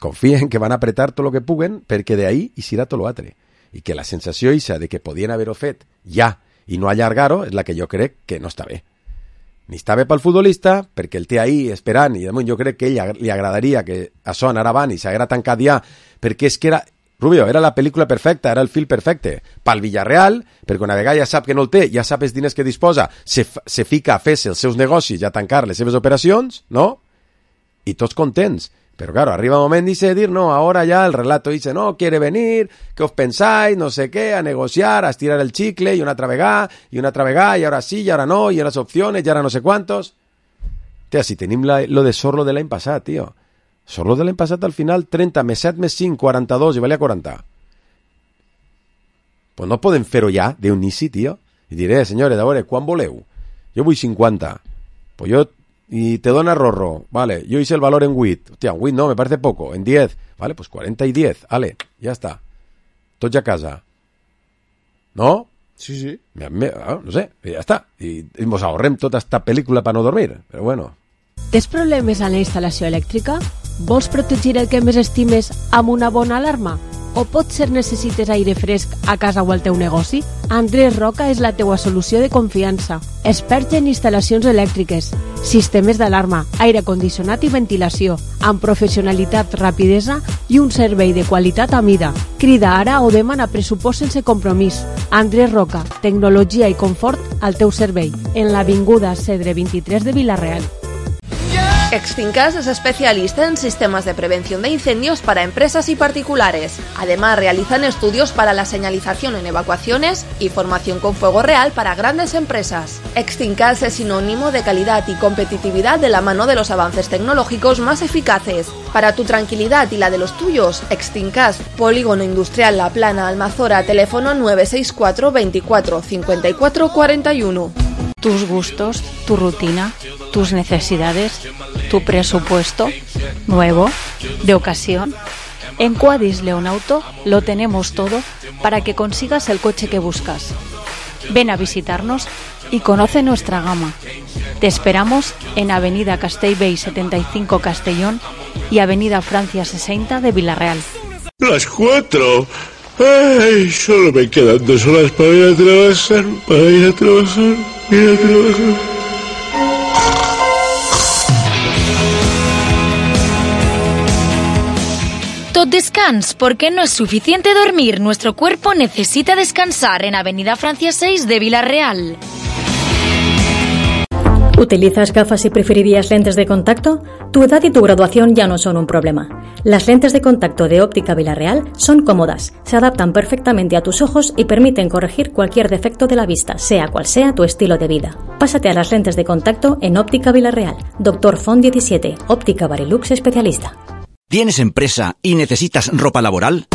Confio en que van apretar tot el que puguen perquè d'ahí hi serà tot l'altre. I que la sensació eixa de que podien haver-ho fet ja i no allargar-ho és la que jo crec que no està bé. Ni està bé pel futbolista, perquè el té ahí esperant, i damunt jo crec que ell li agradaria que això anara avant i s'haguera tancat ja, perquè és que era... Rubio, era la pel·lícula perfecta, era el fil perfecte. Pel Villarreal, perquè una vegada ja sap que no el té, ja sap els diners que disposa, se fica a fer-se els seus negocis i a tancar les seves operacions, no? I tots contents. Pero claro, arriba un moment dice decir, no, ahora ya el relato dice, no, quiere venir, ¿qué os pensáis? No sé qué, a negociar, a estirar el chicle, y una otra vegada, y ahora sí, y ahora no, y ahora las opciones, y ahora no sé cuántos. Tía, si tenim lo de Sorlo de l'any passat, tio. Sorlo de l'any passat al final 30 més 7 més 5, 42, i valia 40. Pues no podem fer-ho ja d'un inici, tio. I diré, senyores, a veure, quan voleu? Jo vull 50. Pues yo... Y te dona Rorro, vale, yo hice el valor en 8. Hostia, en 8 no, me parece poco, en 10. Vale, pues 40 y 10, vale, ya está. Tots a casa. ¿No? Sí, sí. No sé, ja està. I ens ahorrem tota esta pel·lícula per no dormir, però bueno. Tens problemes a la instal·lació elèctrica? Vols protegir el que més estimes amb una bona alarma? O potser necessites aire fresc a casa o al teu negoci? Andrés Roca és la teua solució de confiança. Expert en instal·lacions elèctriques, sistemes d'alarma, aire condicionat i ventilació, amb professionalitat, rapidesa i un servei de qualitat a mida. Crida ara o demana pressupost sense compromís. Andrés Roca, tecnologia i confort al teu servei, en l'avinguda Cedre 23 de Vila-real. Extincas es especialista en sistemas de prevención de incendios para empresas y particulares. Además, realizan estudios para la señalización en evacuaciones y formación con fuego real para grandes empresas. Extincas es sinónimo de calidad y competitividad de la mano de los avances tecnológicos más eficaces. Para tu tranquilidad y la de los tuyos, Extincas, Polígono Industrial La Plana, Almazora, teléfono 964 24 54 41. Tus gustos, tu rutina, tus necesidades, tu presupuesto, nuevo, de ocasión. En Quadis Leonauto lo tenemos todo para que consigas el coche que buscas. Ven a visitarnos y conoce nuestra gama. Te esperamos en Avenida Castellbell 75 Castellón y Avenida Francia 60 de Vila-real. Las 4. Ay, solo me quedan 2 horas para ir a trabajar, Tot descans, porque no es suficiente dormir. Nuestro cuerpo necesita descansar en Avenida Francia 6 de Vila-real. ¿Utilizas gafas y preferirías lentes de contacto? Tu edad y tu graduación ya no son un problema. Las lentes de contacto de Óptica Vila-real son cómodas, se adaptan perfectamente a tus ojos y permiten corregir cualquier defecto de la vista, sea cual sea tu estilo de vida. Pásate a las lentes de contacto en Óptica Vila-real. Dr. Font 17, Óptica Barilux especialista. ¿Tienes empresa y necesitas ropa laboral?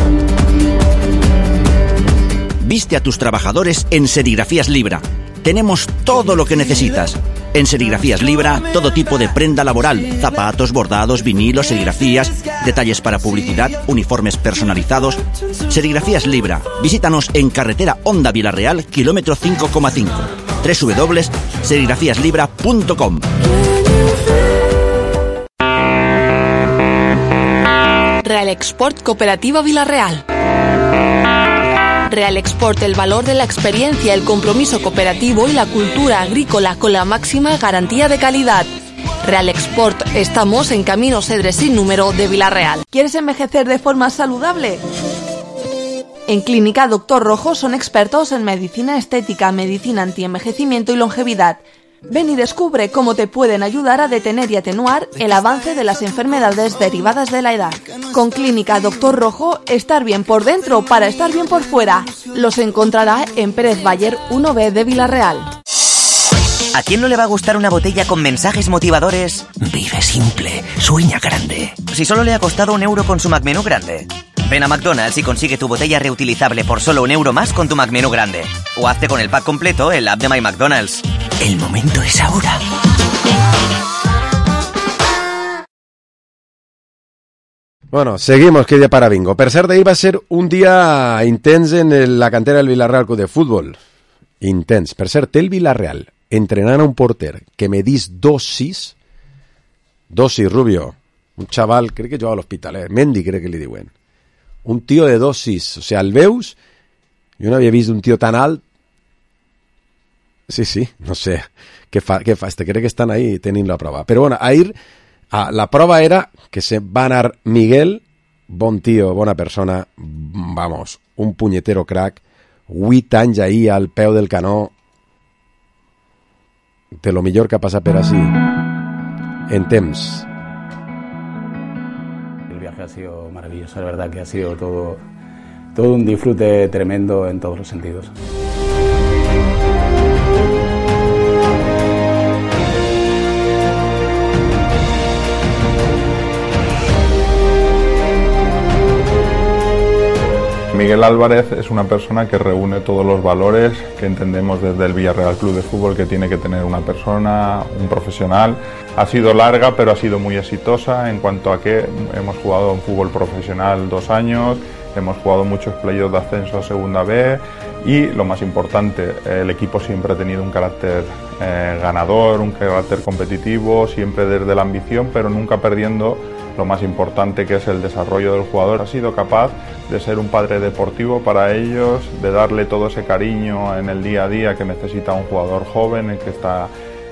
Viste a tus trabajadores en Serigrafías Libra. Tenemos todo lo que necesitas. En Serigrafías Libra, todo tipo de prenda laboral, zapatos, bordados, vinilos, serigrafías, detalles para publicidad, uniformes personalizados. Serigrafías Libra. Visítanos en carretera Honda Vila-real, kilómetro 5,5. www.serigrafiaslibra.com. Real Export Cooperativa Vila-real. Real Export, el valor de la experiencia, el compromiso cooperativo y la cultura agrícola con la máxima garantía de calidad. Real Export, estamos en Camino Cedre sin número de Vila-real. ¿Quieres envejecer de forma saludable? En Clínica Dr. Rojo son expertos en medicina estética, medicina antienvejecimiento y longevidad. Ven y descubre cómo te pueden ayudar a detener y atenuar el avance de las enfermedades derivadas de la edad. Con Clínica Dr. Rojo, estar bien por dentro para estar bien por fuera. Los encontrará en Pérez Bayer 1B de Vila-real. ¿A quién no le va a gustar una botella con mensajes motivadores? Vive simple, sueña grande. Si solo le ha costado €1 con su McMenú grande. Ven a McDonald's y consigue tu botella reutilizable por solo €1 más con tu McMenú grande. O hazte con el pack completo en la app de My McDonald's. El momento es ahora. Bueno, seguimos, que día para bingo. Per cert, ahir va ser un dia intens en la cantera del Villarreal Club de Fútbol. Intens. Per cert, el Villarreal entrenant a un porter que medís 2'6", Rubio, un xaval, crec que jugava a l'Hospitalet, Mendy crec que li diuen. Un tio de 2'6", o sea, el veus, jo no havia vist un tio tan alt. Sí, no sé, què fa? Crec que estan ahí tenint la prova. Però bueno, ahir la prova era que se va anar Miguel, bon tio, bona persona, vamos, un punyetero crack, 8 anys ahí al peu del canó, de lo millor que ha passat per així, en temps. ha sido maravilloso, la verdad que ha sido todo un disfrute tremendo en todos los sentidos. Miguel Álvarez es una persona que reúne todos los valores que entendemos desde el Villarreal Club de Fútbol que tiene que tener una persona, un profesional. Ha sido larga, pero ha sido muy exitosa en cuanto a que hemos jugado en fútbol profesional 2 años, hemos jugado muchos playoffs de ascenso a Segunda B y, lo más importante, el equipo siempre ha tenido un carácter ganador, un carácter competitivo, siempre desde la ambición, pero nunca perdiendo lo más importante, que es el desarrollo del jugador. Ha sido capaz de ser un padre deportivo para ellos, de darle todo ese cariño en el día a día que necesita un jugador joven, el que está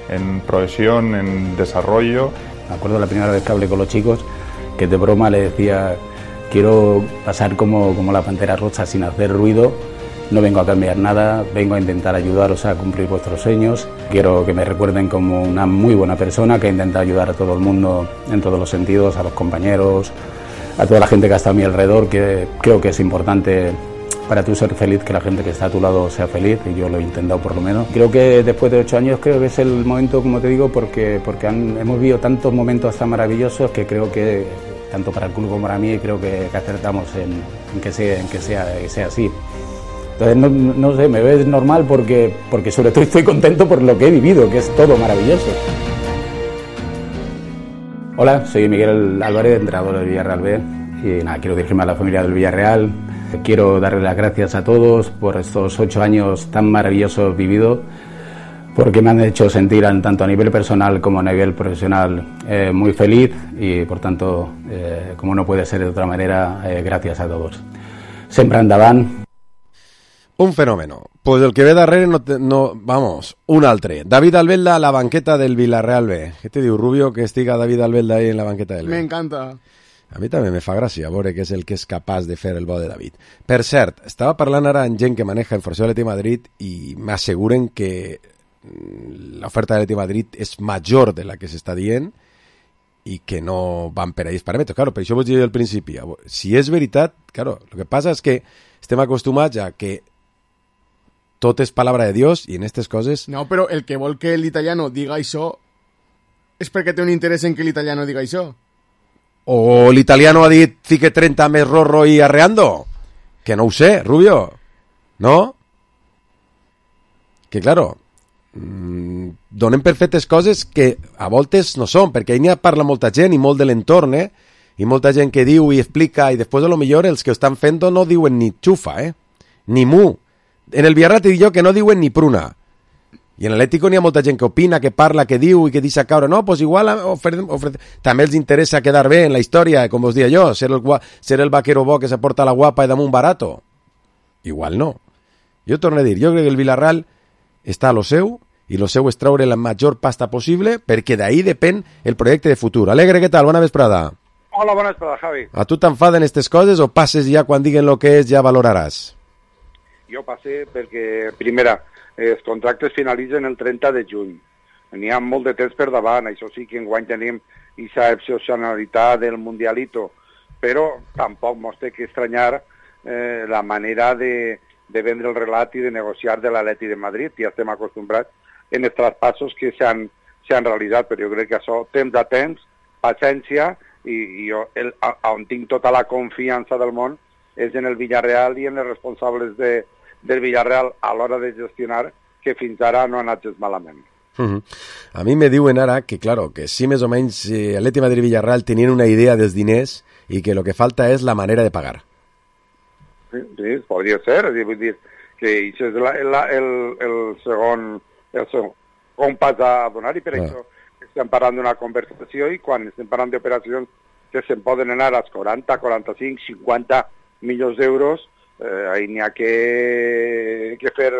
en progresión, en desarrollo. Me acuerdo la primera vez que hablé con los chicos, que de broma le decía: quiero pasar como la pantera rosa sin hacer ruido, no vengo a cambiar nada, vengo a intentar ayudaros a cumplir vuestros sueños. Quiero que me recuerden como una muy buena persona que intenta ayudar a todo el mundo en todos los sentidos, a los compañeros, a toda la gente que está a mi alrededor, que creo que es importante para tú ser feliz, que la gente que está a tu lado sea feliz, y yo lo he intentado por lo menos. Creo que después de 8 años creo que es el momento, como te digo, porque hemos vivido tantos momentos tan maravillosos que creo que, tanto para el club como para mí, creo que acertamos en que sea así. Entonces, no sé, me ves normal porque sobre todo estoy contento por lo que he vivido, que es todo maravilloso. Hola, soy Miguel Álvarez, entrenador del Villarreal B, y nada, quiero dirigirme a la familia del Villarreal. Quiero darle las gracias a todos por estos 8 años tan maravillosos vividos, porque me han hecho sentir, tanto a nivel personal como a nivel profesional, muy feliz, y por tanto, como no puede ser de otra manera, gracias a todos. Sempre endavant. Un fenómeno. Pues el que ve darrere vamos, un altre. David Albelda a la banqueta del Villarreal B. Què te diu, Rubio, que estiga David Albelda ahí en la banqueta del B? Me encanta. A mi també me fa gràcia veure que és el que és capaç de fer el bo de David. Per cert, estava parlant ara amb gent que maneja informació de l'Atlètic Madrid i m'asseguren que l'oferta de l'Atlètic Madrid és major de la que s'està dient i que no van per ahí els paràmetres. Claro, per això vos diria al principi. Si és veritat, claro, el que passa és que estem acostumats a que tot és palabra de Dios i en aquestes coses... No, però el que vol que l'italiano diga això és perquè té un interès en que l'italiano diga això. O l'italiano ha dit fique 30 més Rorro i arreando. Que no ho sé, Rubio. No? Que, claro, donem per fetes coses que a voltes no són, perquè ahí n'hi parla molta gent i molt de l'entorn, i molta gent que diu i explica, i després a lo millor els que ho estan fent no diuen ni xufa, ni mu. En el Villarreal te dic jo que no diuen ni pruna. I en l'Atlético n'hi ha molta gent que opina, que parla, que diu i que deixa caure. No, pues igual també els interessa quedar bé en la història, com us dia jo, ser el vaquero bo que s'aporta la guapa i damunt barato. Igual no. Jo torno a dir, jo crec que el Villarreal està a lo seu, i lo seu és traure la major pasta possible, perquè d'ahí depèn el projecte de futur. Alegre, què tal? Bona vesprada. Hola, bona vesprada, Javi. A tu t'enfaden aquestes coses o passes ja quan diguen lo que és ja valoraràs? Jo passe perquè, primera, els contractes finalitzen el 30 de juny. N'hi ha molt de temps per davant, això sí que enguany tenim aquesta excepcionalitat del Mundialito, però tampoc mos té que estranyar la manera de vendre el relat i de negociar de l'Atlètic de Madrid. Ja estem acostumbrats en els traspassos que s'han realitzat, però jo crec que això, temps a temps, paciència, i jo on tinc tota la confiança del món és en el Villarreal i en els responsables del Villarreal a l'hora de gestionar, que fins ara no ha anat gens malament. A mi me diuen ara que, claro, que sí més o menys Atlètic Madrid i Villarreal tenien una idea dels diners i que el que falta és la manera de pagar. Sí, podria ser, vull dir que això és el segon pas a donar, i per això estem parlant d'una conversació, i quan estem parlant d'operacions que se'n poden anar als 40, 45, 50 milions d'euros, ahí n'hi ha que fer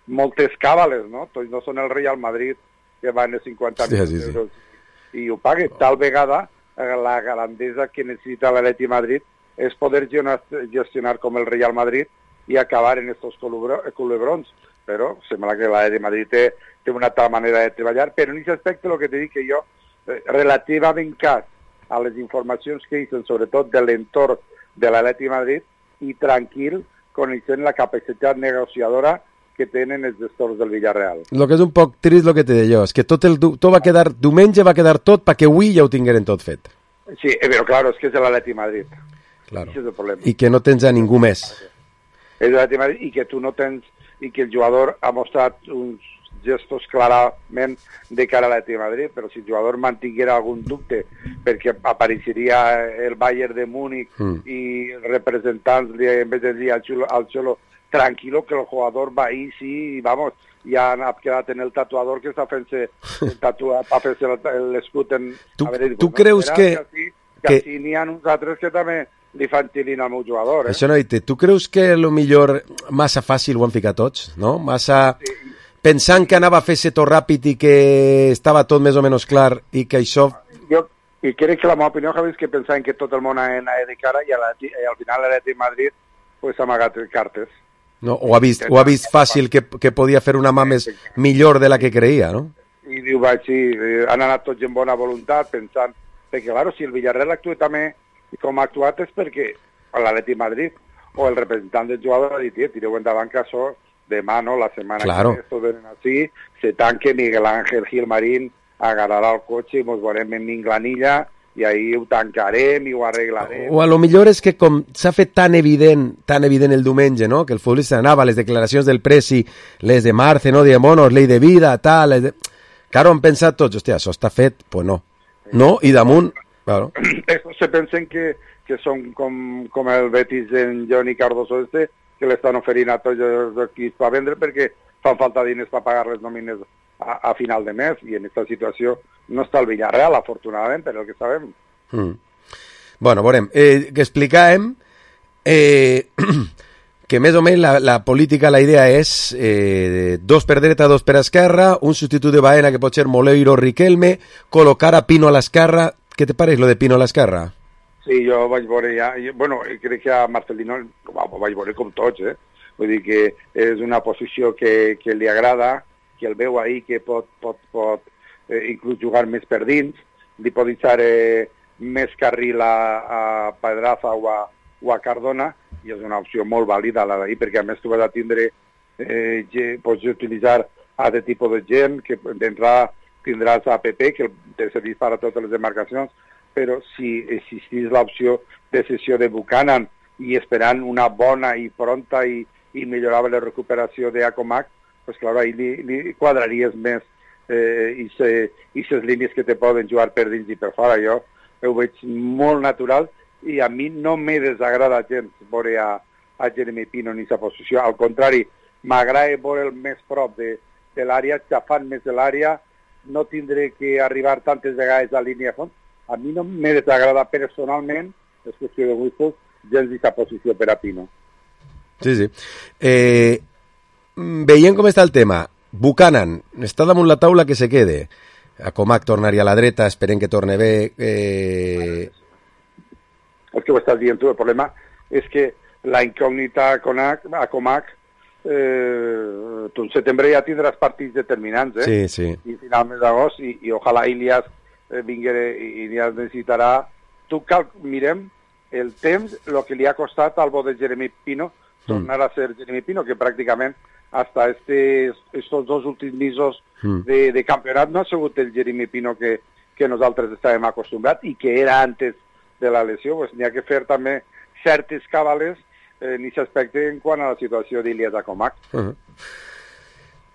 moltes càbales, no? Tots no són el Real Madrid que van a 50 milions d'euros i ho pague. Tal vegada la grandesa que necessita l'Atlètic Madrid és poder gestionar com el Real Madrid i acabar en estos culebrons. Però sembla que l'Atlètic Madrid té una altra manera de treballar, però en aquest aspecte el que te dic que jo, relativament car a les informacions que hissen, sobretot de l'entorn de l'Atlètic Madrid, i tranquil, coneixent la capacitat negociadora que tenen els gestors del Villarreal. El que és un poc trist el que te deia jo, és que tot va quedar, diumenge va quedar tot perquè avui ja ho tingueren tot fet. Sí, però claro, és que és l'Atlètic Madrid. Claro. Això és el problema. I que no tens a ningú més. És l'Atlètic Madrid i que tu no tens, i que el jugador ha mostrat uns gestos clarament de cara a l'Atlètic Madrid, però si el jugador mantinguera algun dubte perquè apareixeria el Bayern de Múnich i representants en vez de dir al Xolo tranquilo, que el jugador va ahí, sí, vamos, ja ha quedat en el tatuador que està fent-se l'escut en... Tu creus que... Que així n'hi ha uns altres que també li fan xilin al meu jugador, Això no, tu creus que lo millor massa fàcil ho han ficat tots, no? Massa... Pensant que anava a fer-se tot ràpid i que estava tot més o menys clar i que això... Jo crec que la meva opinió, Javi, és que pensaven que tot el món anava de cara i al final l'Atlètic Madrid pues, ha amagat cartes. No, ho ha vist fàcil que podia fer una mà millor de la que creia, no? I diu, sí, han anat tots en bona voluntat pensant... Perquè, claro, si el Villarreal actua també com ha actuat és perquè l'Atlètic Madrid o el representant del jugador ha dit, tireu endavant que això demà, no, la setmana que esto venen així, se tanque Miguel Ángel Gilmarín, agarrarà el cotxe i mos veurem en Minglanilla i ahí ho tancarem i ho arreglarem. O a lo millor és que com s'ha fet tan evident el diumenge, no?, que el futbolista anava a les declaracions del Presi, les de Marce, no?, de monos, ley de vida, tal... Claro, han pensat tots, hòstia, això està fet, pues no. No, i damunt... Claro. Estos se pensen que són com el Betis en Johnny Cardoso que l'estan oferint a tots els equips per vendre perquè fan falta diners per pagar les nòmines a final de mes i en aquesta situació no està el Villarreal, afortunadament, per el que sabem. Bueno, veurem. Que explicàvem que més o menys la política, la idea és dos per dreta, dos per esquerra, un substitut de Baena que pot ser Moleiro Riquelme, col·locar a Pino a l'esquerra. Què te pareix lo de Pino a l'esquerra? Sí, jo vaig veure ja, bueno, crec que a Marcelino vaig veure com tots, vull dir que és una posició que li agrada, que el veu ahí, que pot inclús jugar més per dins, li pot deixar més carril a Pedraza o a Cardona, i és una opció molt vàlida la d'ahir, perquè a més tu vas a tindre, pots utilitzar altre tipus de gent, que d'entrada tindràs a PP, que te serveix per a totes les demarcacions, però si existís l'opció de cessió de Buchanan i esperant una bona i pronta i millorable recuperació d'Acomac, pues clar, ahí li quadraries més i les línies que te poden jugar per dins i per fora. Jo ho veig molt natural i a mi no me desagrada gens veure a Jeremy Pino en aquesta posició. Al contrari, m'agrada veure'l més prop de l'àrea, xafant més de l'àrea, no tindré que arribar tantes vegades a línia de fons. A mi no me desagrada personalment, és qüestió de gustos, gens d'aquesta posició per a Pino. Sí. Veient com està el tema, Buchanan està damunt la taula que se quede. Acomac tornaria a la dreta, esperem que torne bé. És que ho estàs dient tu, el problema és que la incògnita Acomac, tu en setembre ja tindràs partits determinants, Sí. I final mes d'agost, i ojalà Ilias vinguere i Ilias necessitarà... Mirem el temps, el que li ha costat al bo de Jeremy Pino tornar a ser Jeremy Pino, que pràcticament hasta estos dos últims mesos de campionat no ha sigut el Jeremy Pino que nosaltres estàvem acostumbrats i que era antes de la lesió. Pues n'hi ha que fer també certes cabales en aquest aspecte en quant a la situació d'Ilias Acomac.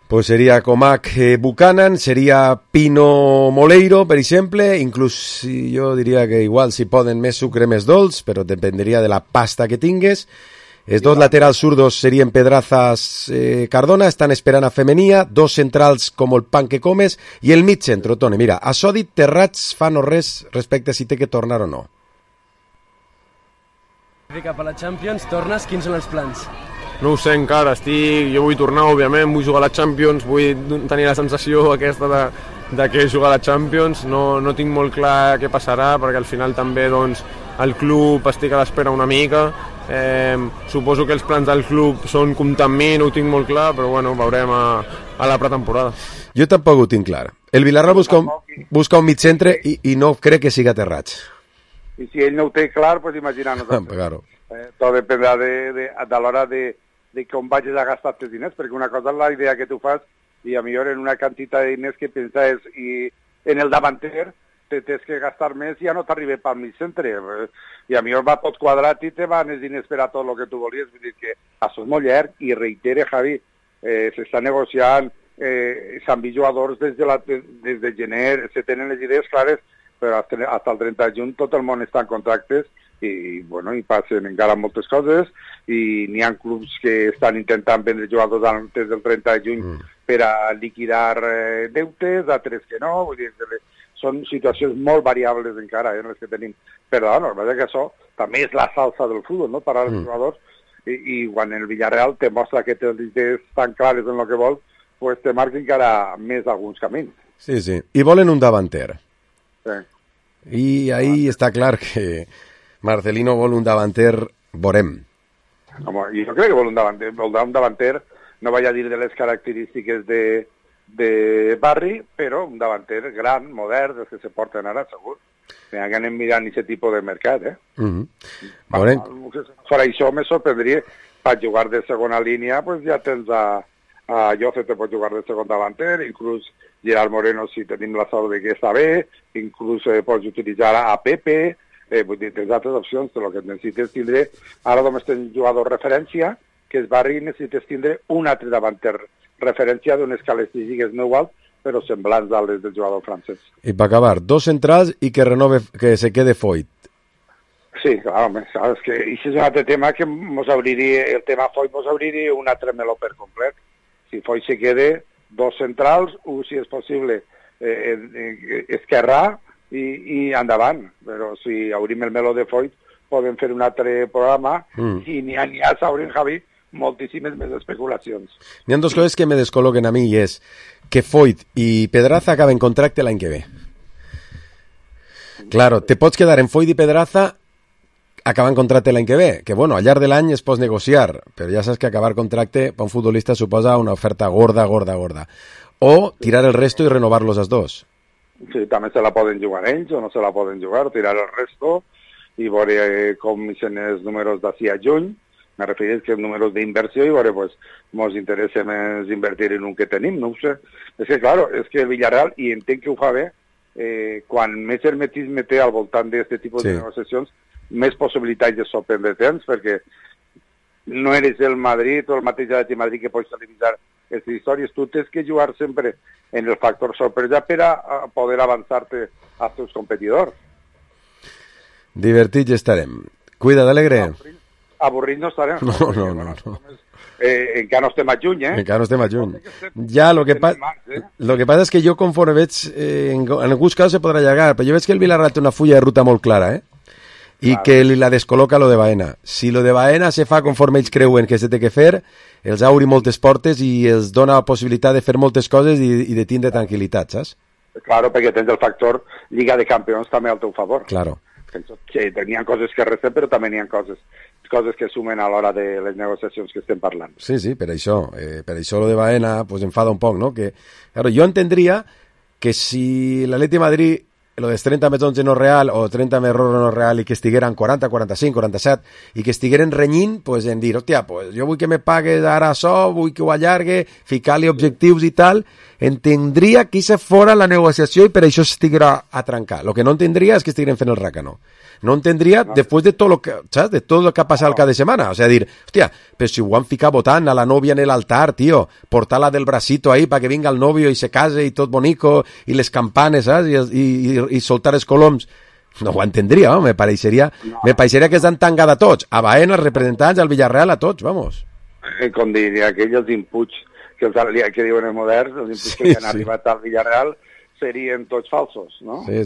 Pues seria Acomac Buchanan, seria Pino Moleiro, per exemple, inclús jo diria que igual si poden més sucre més dolç, però dependria de la pasta que tingues. Els dos laterals zurdos serien Pedrazas Cardona, estan esperant a Femenia, dos centrals com el pan que comes, i el mig centre, Toni, mira, això dit Terrats fa no res respecte a si té que tornar o no. Cap a la Champions, tornes, quins són els plans? No ho sé encara, jo vull tornar, òbviament, vull jugar a la Champions, vull tenir la sensació aquesta de que jugar a la Champions, no tinc molt clar què passarà, perquè al final també doncs, el club estic a l'espera una mica, suposo que els plans del club són comptar amb mi, no ho tinc molt clar, però bueno, veurem a la pretemporada. Jo tampoc ho tinc clar. El Villarreal busca un mig centre i no crec que siga Terrats. I si ell no ho té clar, pues imagina-nos. Claro. Tot dependrà de l'hora de com vagis a gastar els diners, perquè una cosa és la idea que tu fas i a millor en una quantitat de diners que penses i en el davanter te tens que gastar més i ja no t'arriba pel mig centre. I a millor va tot quadrat i te van els diners per a tot el que tu volies. Vull dir que això és molt llarg i reitere, Javi, s'està negociant, s'han vist jugadors des de gener, se tenen les idees clares, però fins al 30 de juny tot el món està en contractes i passen encara moltes coses i n'hi ha clubs que estan intentant vendre jugadors antes del 30 de juny per a liquidar deutes, altres que no, vull dir, són situacions molt variables encara les que tenim, però la veritat que això també és la salsa del futbol, no? Per als jugadors, i quan el Villarreal te mostra que té les idees tan clares en el que vol, pues te marca encara més alguns camins. Sí, sí, i volen un davanter. Sí. I ahí està clar que Marcelino vol un davanter, veurem. Home, jo crec que vol un davanter, no vaig a dir de les característiques de Barri, però un davanter gran, modern, dels que se porten ara, segur. Que anem mirant aquest tipus de mercat, Veurem. Per això me sorprendria, per jugar de segona línia, pues ja tens a Jose, te pot jugar de segon davanter, inclús Gerard Moreno, si tenim la sort de que està bé, inclús pots utilitzar a Pepe, vull dir, tens altres opcions, el que necessites tindre, ara només tens jugador referència, que és Barri, necessites tindre un altre davanter referència d'unes característiques no iguals, però semblants a les del jugador francès. I per acabar, 2 centrals i que se quede Foyt. Sí, clar, home, és que això és un altre tema que el tema Foyt mos obriria un altre meló per complet. Si Foyt se quede, 2 centrals, un, si és possible, esquerrà i endavant. Però si obrim el meló de Foyt, podem fer un altre programa i n'hi ha, s'obrim, Javi, moltíssimes més especulacions. N'hi ha 2 coses que me descol·loquen a mi i és que Foyt i Pedraza acaben contracte l'any que ve. Claro, te pots quedar en Foyt i Pedraza acabant contracte l'any que ve, que bueno, al llarg de l'any es pot negociar, però ja saps que acabar contracte per un futbolista suposa una oferta gorda. O tirar el resto i renovar-los els dos. Sí, també se la poden jugar ells o no se la poden jugar, tirar el resto i veure com són els números d'ací a juny. Me refereix que els números d'inversió i veure, pues, mos interessa més invertir en un que tenim, no ho sé. És que, claro, és que el Villarreal, i entenc que ho fa bé, quan més hermetisme té al voltant d'aquest tipus de negociacions, més possibilitats de sorprendre tens, perquè no eres el Madrid o el mateix de Madrid que pots televisar aquestes històries. Tu tens que jugar sempre en el factor sorpresa per a poder avançar-te als teus competidors. Divertits estarem. Cuida d'Alegre. Avorrit no estarem. No. Encara no estem a juny, Encara no estem a juny. Ja, lo que passa és que jo conforme veig, en alguns casos se podrà allargar, però jo veig que el Villarreal té una fulla de ruta molt clara, i que la descol·loca lo de Baena. Si lo de Baena se fa conforme ells creuen que se té que fer, els obri moltes portes i els dona la possibilitat de fer moltes coses i de tindre tranquil·litat, saps? Claro, perquè tens el factor Lliga de Campions també al teu favor. Claro. Que n'hi ha coses que resten, però també n'hi ha coses que sumen a l'hora de les negociacions que estem parlant. Sí, per això lo de Baena pues enfada un poc, no? Que, claro, jo entendria que si l'Atleti Madrid lo dels 30 metrons no real o 30 metrons no real i que estigueren 40, 45, 47 i que estigueren renyint, pues en dir, hòstia, pues jo vull que me pagues ara això, vull que ho allargue, ficar-li objectius i tal, entendria que això fora la negociació i per això estiguera a trencar. Lo que no entendria és que estigueren fent el racano. No entendria després de tot lo que, saps? De tot el que ha passat el cap de setmana. O sea, dir, hòstia, però si ho van ficar votant a la novia en l'altar, tio, portar-la del bracito ahí para que vinga el novio i se case i tot bonico, i les campanes, saps? I soltar els coloms. No ho entendria, me pareixeria que estan tangada a tots, a Baena, als representants, al Villarreal, a tots, vamos. Com diria aquell, els inputs que diuen els moderns, els inputs que han arribat al Villarreal, serien tots falsos, no? Sí.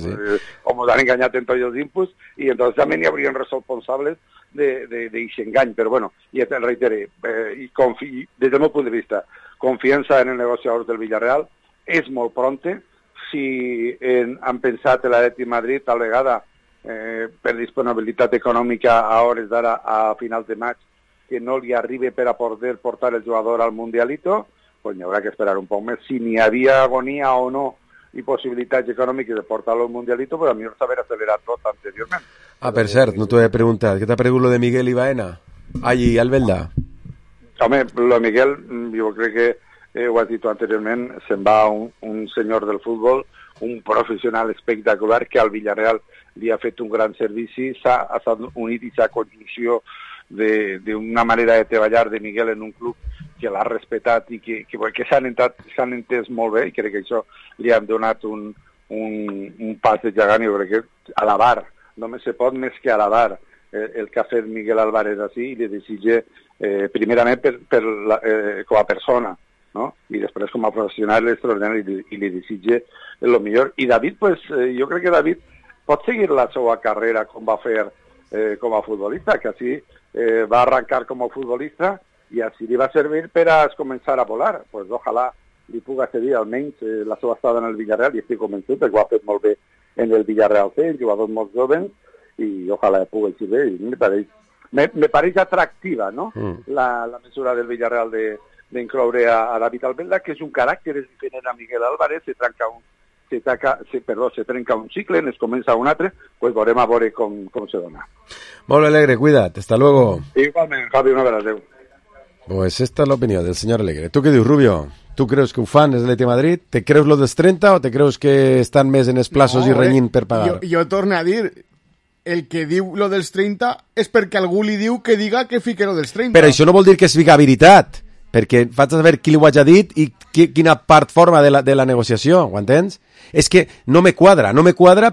O ens han enganyat en tots els inputs i entonces també n'hi haurien responsables d'aquest engany, però bueno, i et reiteré, des del meu punt de vista, confiança en els negociadors del Villarreal, és molt pronte. Si han pensat en l'Atleti Madrid, tal vegada, per disponibilitat econòmica a hores d'ara, a finals de maig, que no li arribi per a poder portar el jugador al Mundialito, pues n'hi haurà que esperar un poc més. Si n'hi havia agonia o no i possibilitats econòmiques de portar-lo al Mundialito, però a millor s'haver accelerat tot anteriorment. Per cert, no t'ho he preguntat. Què t'ha pregut lo de Miguel i Baena? Ai, Albelda. Home, lo de Miguel, jo crec que ho has dit anteriorment, se'n va un senyor del futbol, un professional espectacular que al Villarreal li ha fet un gran servici, s'ha unit i s'ha conjunció d'una manera de treballar de Miguel en un club que l'ha respetat i que s'han entès molt bé, i crec que això li han donat un pas de gegant. Jo crec que alabar, només se pot més que alabar el que ha fet Miguel Álvarez així, i li desitge primerament com a persona, ¿no? I després com a professional extraordinari, i li desitge el millor. I David, pues, jo crec que David pot seguir la seva carrera com va fer com a futbolista, que així va arrencar com a futbolista i així li va servir per a començar a volar. Pues ojalà li puga cedir almenys la seva estada en el Villarreal, i estic convençut que ho ha fet molt bé en el Villarreal C, jugadors molt jovens, i ojalà pugui ser bé. Me pareix atractiva, no? La mesura del Villarreal d'incloure a David Albelda, que és un caràcter diferent a Miguel Álvarez. Se trenca un cicle, es comença un altre, pues veurem a veure com se dona. Molt bé, Alegre, cuida't, hasta luego. Igualment, Javi, una vegada, adeu. Pues esta es la opinión del señor Alegre. ¿Tú qué dius, Rubio? ¿Tú creus que ho fan és l'Atleti Madrid? Te creus lo dels 30 o te creus que estan més en esplaços i renyint per pagar? Jo torno a dir, el que diu lo dels 30 és perquè algú li diu que diga que fique lo dels 30. Però això no vol dir que es fica veritat, perquè faig saber qui li ho ha dit i quina part forma de la negociació, ho entens? És que no me quadra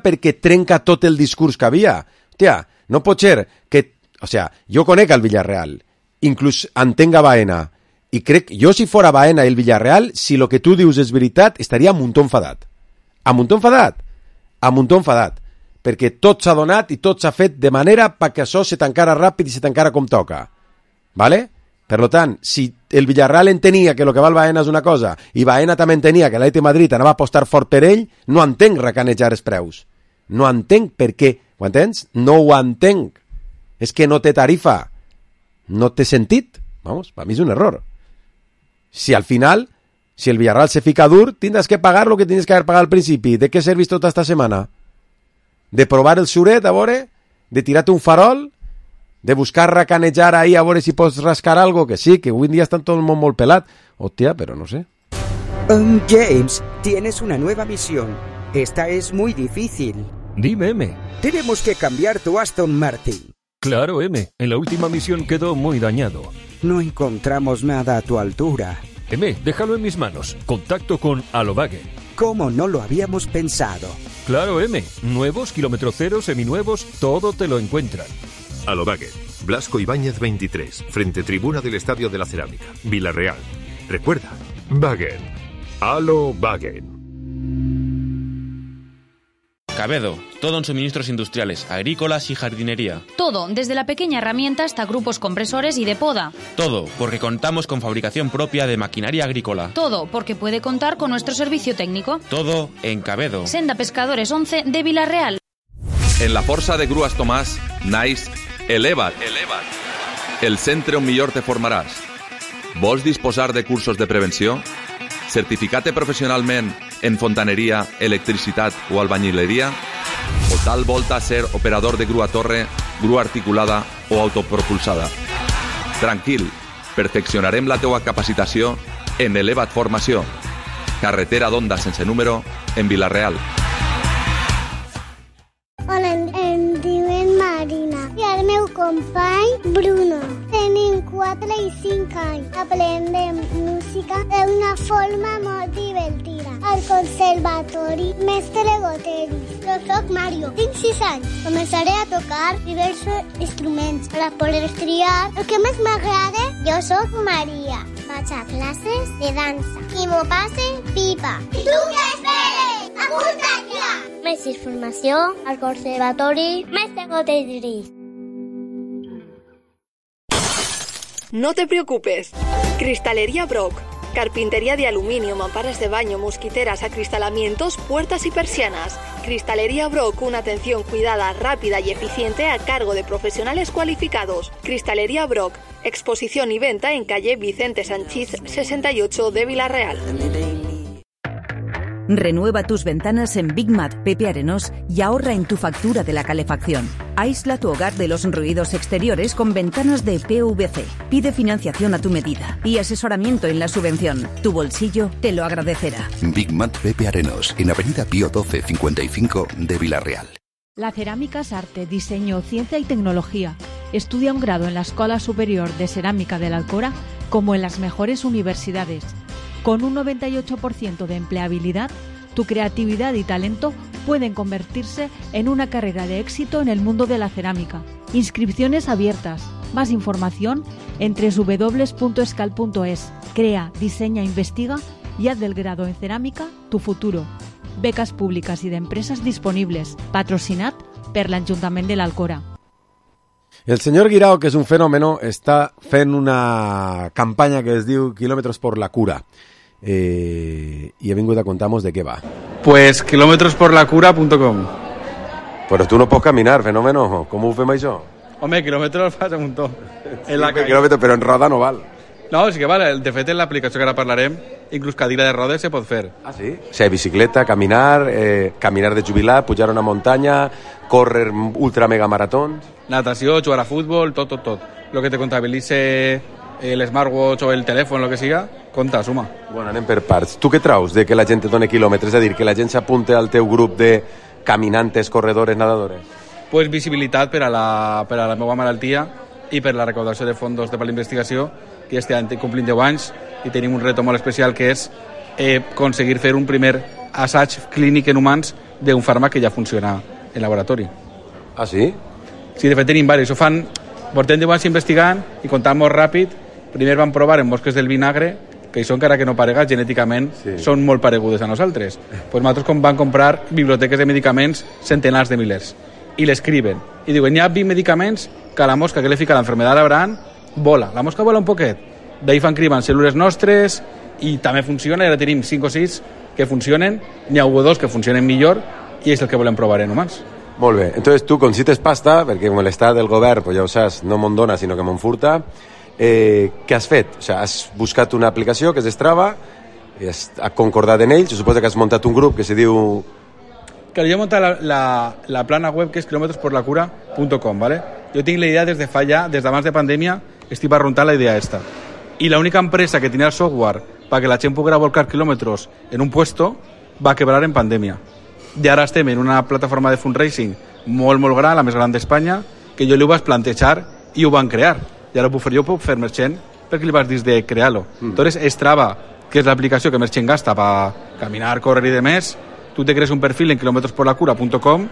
perquè trenca tot el discurs que havia. Hòstia, no pot ser que... O sea, jo conec el Villarreal, inclús entenc a Baena, i crec, jo si fora Baena i el Villarreal, si lo que tu dius és veritat, estaria a muntó enfadat. A muntó enfadat, perquè tot s'ha donat i tot s'ha fet de manera perquè això se tancara ràpid i se tancara com toca. ¿Vale? Per tant, si el Villarreal entenia que el que val Baena és una cosa i Baena també entenia que l'Atleti Madrid anava a apostar fort per ell, no entenc recanejar els preus. No entenc per què. Ho entens? No ho entenc. És que no té tarifa. No té sentit. Vamos, per mi és un error. Si al final, si el Villarreal se fica dur, tindràs que pagar lo que tienes que haver pagat al principi. ¿De què servís tota esta setmana? De provar el suret, a veure? De tirar-te un farol? De buscar racanejar ahí a veure si pots rascar algo? Que sí, que hoy en día están todo el mundo molt pelat. Hostia, pero no sé. James, tienes una nueva misión. Esta es muy difícil. Dime, M. Tenemos que cambiar tu Aston Martin. Claro, M. En la última misión quedó muy dañado. No encontramos nada a tu altura. M, déjalo en mis manos. Contacto con Alobague. ¿Cómo no lo habíamos pensado? Claro, M. Nuevos, kilómetro cero, seminuevos, todo te lo encuentran. Alobague. Blasco Ibáñez 23, frente tribuna del Estadio de la Cerámica, Villarreal. Recuerda, Wagen. Alobague. Cabedo, todo en suministros industriales, agrícolas y jardinería. Todo, desde la pequeña herramienta hasta grupos compresores y de poda. Todo, porque contamos con fabricación propia de maquinaria agrícola. Todo, porque puede contar con nuestro servicio técnico. Todo en Cabedo. Senda Pescadores 11 de Villarreal. En la Força de Grues Tomàs, naix Eleva't. El centre on millor te formaràs. Vols disposar de cursos de prevenció? Certificat professionalment en fontaneria, electricitat o albañileria? O tal volta ser operador de grua torre, grua articulada o autopropulsada? Tranquil, perfeccionarem la teua capacitació en Eleva't Formació. Carretera d'Onda sense número en Vilareal. Hola, em diuen Marina i el meu company Bruno. Tenim 4 i 5 anys. Aprendem música d'una forma molt divertida. Al conservatori Mestre Goteri. Jo soc Mario, tinc 6 anys. Començaré a tocar diversos instruments per poder triar el que més m'agrada. Jo soc Maria. Vaig a classes de dansa i m'ho passe pipa. I tu què esperes? Apunta't ja! Més informació al conservatori Mestre Goteri. No te preocupes. Cristalería Brock. Carpintería de aluminio, mamparas de baño, mosquiteras, acristalamientos, puertas y persianas. Cristalería Brock, una atención cuidada, rápida y eficiente a cargo de profesionales cualificados. Cristalería Brock, exposición y venta en calle Vicente Sanchís 68 de Vilareal. Renueva tus ventanas en Big Mat Pepe Arenós y ahorra en tu factura de la calefacción. Aísla tu hogar de los ruidos exteriores con ventanas de PVC. Pide financiación a tu medida y asesoramiento en la subvención. Tu bolsillo te lo agradecerá. Big Mat Pepe Arenós, en Avenida Pío 12 55 de Villarreal. La cerámica es arte, diseño, ciencia y tecnología. Estudia un grado en la Escuela Superior de Cerámica de la Alcora como en las mejores universidades. Con un 98% de empleabilidad, tu creatividad y talento pueden convertirse en una carrera de éxito en el mundo de la cerámica. Inscripciones abiertas. Más información en www.escal.es. Crea, diseña, investiga y haz del grado en cerámica tu futuro. Becas públiques i d'empreses disponibles, patrocinat per l'Ajuntament de l'Alcora. El senyor Guirao, que és un fenòmeno, està fent una campanya que es diu Kilómetros por la Cura. I he vingut a contar-nos de què va. Pues kilometrosporlacura.com. Però tu no pots caminar, fenòmeno. Com ho fem això? Home, quilòmetres fas un muntó. Sí, quilòmetres, però en roda no val. No, sí que vale. De fet, en l'aplicació que ara parlarem, inclús cadira de rodes se pot fer. Ah, sí? O sigui, bicicleta, caminar, caminar de jubilat, pujar una muntanya, córrer ultra mega maratons... Natació, jugar a futbol, tot. Lo que te contabilice el smartwatch o el telèfon, lo que siga, compta, suma. Bueno, anem per parts. Tu què traus de que la gent et doni quilòmetres? És a dir, que la gent s'apunte al teu grup de caminantes, corredores, nadadores? Pues visibilitat per a la meva malaltia i per la recaudació de fons per la investigació, que este any complim 10 anys i tenim un reto molt especial, que és aconseguir fer un primer assaig clínic en humans d'un fàrmac que ja funciona en laboratori. Ah, sí? Sí, de fet tenim diversos. Portem 10 anys investigant i comptant molt ràpid. Primer van provar en mosques del vinagre, que això encara que no parega, genèticament són molt paregudes a nosaltres. Pues nosaltres van comprar biblioteques de medicaments, centenars de milers, i l'escriven. I diuen, hi ha 20 medicaments que a la mosca que li fica l'enfermedad d'Abraham vola. La mosca vola un poquet. D'ahir fan cribar cèl·lules nostres i també funciona. Ara tenim 5 o 6 que funcionen. N'hi ha 2 que funcionen millor i és el que volem provar en humans. Molt bé. Entonces tu consites pasta, perquè com l'estat del govern, pues ja ho saps, no me'n dona, sinó que me'n furta. Què has fet? O sigui, has buscat una aplicació que és Strava, has concordat en ells, suposo que has muntat un grup que se diu... Claro, yo he montado la plana web que es kilometrosporlacura.com, ¿vale? Yo tengo la idea desde falla, desde antes de pandemia, estoy para runtar la idea esta. Y la única empresa que tenía el software para que la gent pudiera volcar kilómetros en un puesto va a quebrar en pandemia. I ara estem en una plataforma de fundraising molt gran, la més gran d'Espanya, que jo li ho vaig plantejar i ho van crear. I ara jo puc fer merchant perquè li vas dir de crear-lo. Entonces, Strava, que és l'aplicació que merchant gasta per caminar, córrer i demés, tu te crees un perfil en kilometrosporlacura.com,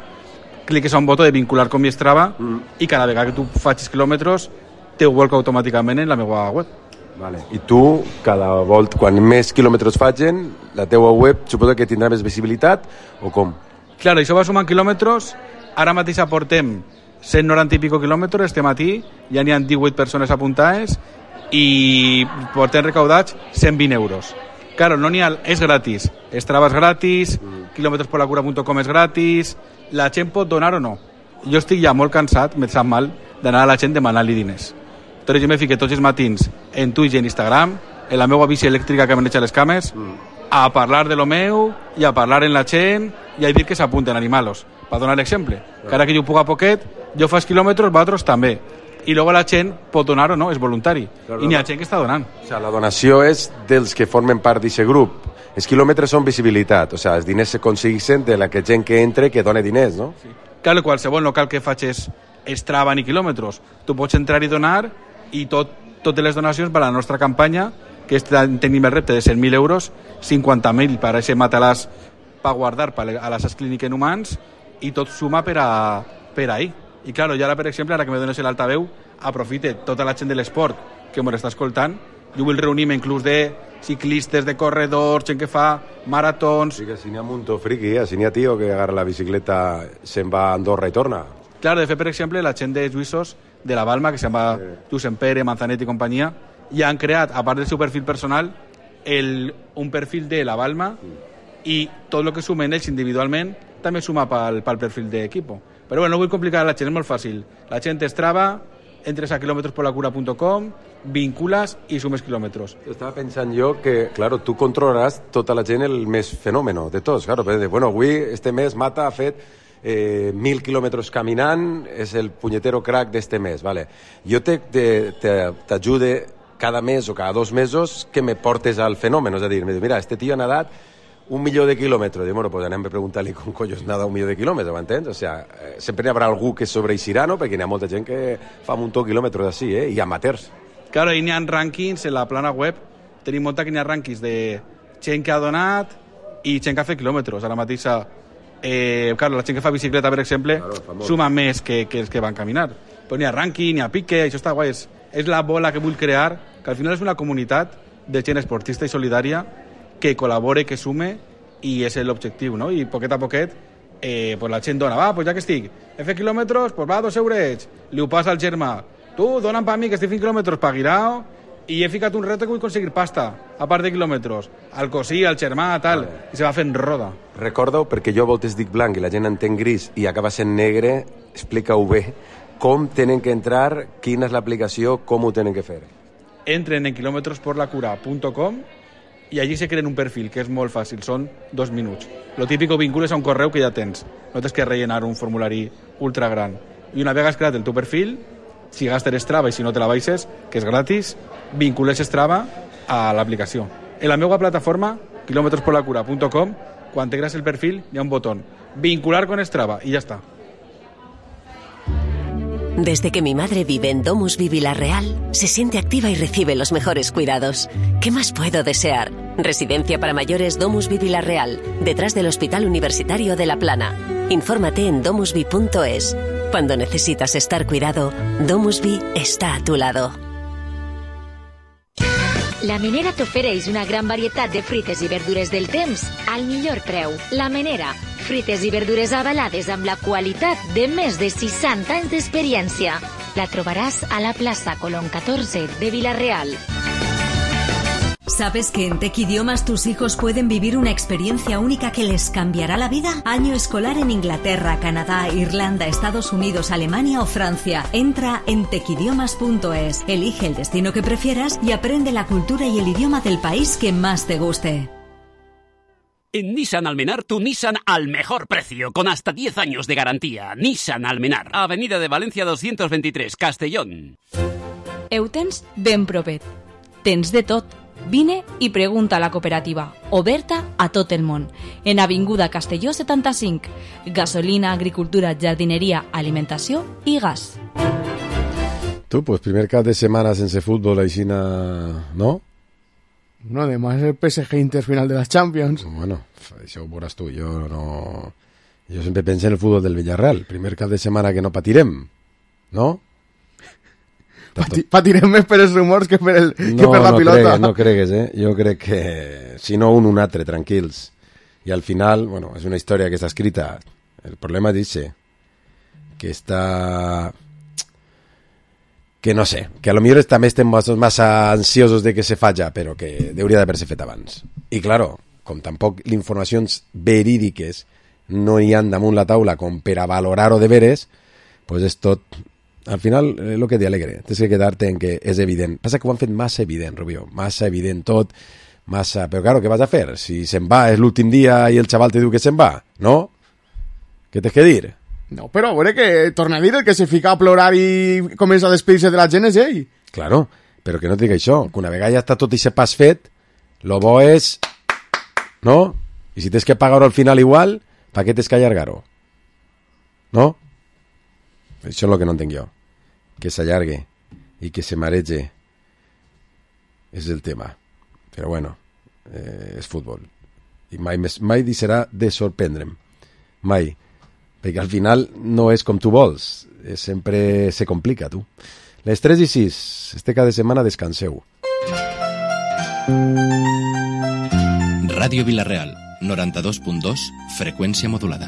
cliques a un botó de vincular con mi Strava i cada vegada que tu facis quilòmetres te ho volca automàticament en la meva web. Vale. I tu, cada volta, quan més quilòmetres facin, la teua web suposo que tindrà més visibilitat, o com? Claro, això va sumant quilòmetres. Ara mateix aportem 190 i pico quilòmetres este matí, ja n'hi ha 18 persones apuntades i portem recaudats 120 euros. Claro, no n'hi ha, és gratis. Strava és gratis, kilometrosporlacura.com és gratis, la gent pot donar o no. Jo estic ja molt cansat, me sap mal, d'anar a la gent demanant-li diners. Entonces jo me fique tots els matins en Twitch i en Instagram, en la meva bici elèctrica que m'han les cames, a parlar de lo meu i a parlar en la gent i a dir que s'apunten animalos, per donar l'exemple. Que ara que jo puc a poquet, jo faig quilòmetres, vosaltres també. I luego la gent pot donar o no, és voluntari. I n'hi ha gent que està donant. O sea, la donació és dels que formen part d'aquest grup. Els quilòmetres són visibilitat, o sea, els diners s'aconsegueixen de la gent que entre que dona diners, no? Sí. Claro, qualsevol local que facis Strava ni quilòmetres, tu pots entrar i donar i totes les donacions per a la nostra campanya, que tenim el repte de 100.000 euros, 50.000 per a aquest matalàs per guardar a les clíniques en humans, i tot suma per ahir. I clar, jo ara, per exemple, ara que me dones l'altaveu, aprofite tota la gent de l'esport que m'ho està escoltant, jo vull reunir-me inclús de ciclistes, de corredors, gent que fa maratons... Sí, que si n'hi ha un muntó friqui, si n'hi ha tio que agarra la bicicleta, se'n va a Andorra i torna. Clar, de fet, per exemple, la gent de Lluïssos de la Balma, que se'n va Josep Pere, Manzanet i companyia, ja han creat, a part del seu perfil personal, un perfil de la Balma i tot el que sumen ells individualment també suma pel perfil d'equip. Però bueno, no vull complicar la gent, és molt fàcil. La gent Strava, entres a kilometrosporlacura.com, vincules i sumes quilòmetres. Estava pensant jo que, claro, tu controlaràs tota la gent el més fenòmeno de tots. Claro, bueno, avui, este mes, Mata ha fet 1.000 quilòmetres caminant, és el punyetero crack d'este mes, vale. Jo t'ajude cada mes o cada 2 mesos que me portes al fenòmeno, és a dir, mira, este tio ha nadat 1.000.000 de quilòmetres. Dic, bueno, pues anem a preguntar-li com collons nada 1.000.000 de quilòmetres, m'entens? O sea, sempre hi haurà algú que sobreeixirà, no? Perquè hi ha molta gent que fa un munt de quilòmetres així, i amateurs. Claro, i n'hi ha rànquings en la plana web, tenim molta que n'hi ha rànquings de gent que ha donat i gent que ha fet quilòmetres. Ara mateixa, claro, la gent que fa bicicleta, per exemple, claro, suma més que els que van caminar. Però n'hi ha rànquing, n'hi ha pique, això està guai. És la bola que vull crear, que al final és una comunitat de gent esportista i solidària que col·labore, que sume, i és l'objectiu, no? I poquet a poquet pues la gent dona, pues ja que estic, he fet quilòmetres, pues va, 2 eurets, li ho passa al germà, tu, dona'm per mi que estic fent quilòmetres per Guirao, i he ficat un reto que vull aconseguir pasta, a part de quilòmetres, al cosí, al germà, tal, i se va fent roda. Recorda-ho, perquè jo a voltes dic blanc i la gent entén gris i acaba sent negre, explica-ho bé, com tenen que entrar, quina és l'aplicació, com ho tenen que fer. Entren en kilometrosporlacura.com i allí se creen un perfil, que és molt fàcil, són 2 minuts. Lo típico, vincules a un correu que ja tens. No tens que rellenar un formulari ultra gran. I una vegada has creat el teu perfil, si gastes Strava i si no te la baixes, que és gratis, vincules Strava a l'aplicació. En la meva plataforma, kilometrosporlacura.com, quan te crees el perfil, hi ha un botó, vincular con Strava, i ja està. Desde que mi madre vive en DomusVi Vilarreal, se siente activa y recibe los mejores cuidados. ¿Qué más puedo desear? Residencia para mayores DomusVi Vilarreal, detrás del Hospital Universitario de La Plana. Infórmate en domusvi.es. Cuando necesitas estar cuidado, DomusVi está a tu lado. La Menera t'ofereix una gran varietat de fruites i verdures del temps al millor preu. La Menera, fruites i verdures avalades amb la qualitat de més de 60 anys d'experiència. La trobaràs a la plaça Colón 14 de Vila-real. ¿Sabes que en Tech Idiomas tus hijos pueden vivir una experiencia única que les cambiará la vida? Año escolar en Inglaterra, Canadá, Irlanda, Estados Unidos, Alemania o Francia. Entra en techidiomas.es, elige el destino que prefieras y aprende la cultura y el idioma del país que más te guste. En Nissan Almenar, tu Nissan al mejor precio, con hasta 10 años de garantía. Nissan Almenar, Avenida de Valencia 223, Castellón. Ho tens ben propet. Tens de tot. Vine i pregunta a la cooperativa, oberta a tot el món. En Avinguda Castelló 75. Gasolina, agricultura, jardineria, alimentació i gas. Tu, pues primer cap de setmana sense futbol, aixina, no? No, además el PSG Inter final de la Champions. Bueno, això ho veuràs tu, jo no... Jo sempre penso en el futbol del Villarreal, primer cap de setmana que no patirem, no? Patirem més per els rumors que per la pilota. No cregues, jo crec que si no un altre, tranquils. I al final, bueno, és una història que està escrita. El problema dice que està... que no sé, que a lo millor també estem massa ansiosos de que se faci, però que hauria d'haver-se fet abans. I claro, com tampoc les informacions verídiques no hi han damunt la taula com per a valorar-ho de veres, pues és tot... Al final, el que t'alegre, tens que quedar-te en que és evident. Passa que ho han fet massa evident, Rubio, massa evident tot, massa... Però claro, què vas a fer? Si se'n va, és l'últim dia i el xaval te diu que se'n va, no? Què tens que dir? No, però a veure que torna a dir el que se fica a plorar i comença a despedir-se de la gent és ell. Claro, però que no et dic això, que una vegada ja està tot aquest pas fet, lo bo és... No? I si tens que pagar-ho al final igual, per què tens que allargar-ho? No? Això és el que no entenc jo, que s'allargue i que se marege és el tema, però bueno, és futbol i mai deixarà de sorprendre'm, mai, perquè al final no és com tu vols, sempre se complica, tu. Les 3:06, este cap de setmana descanseu. Ràdio Vila-real, 92.2, freqüència modulada.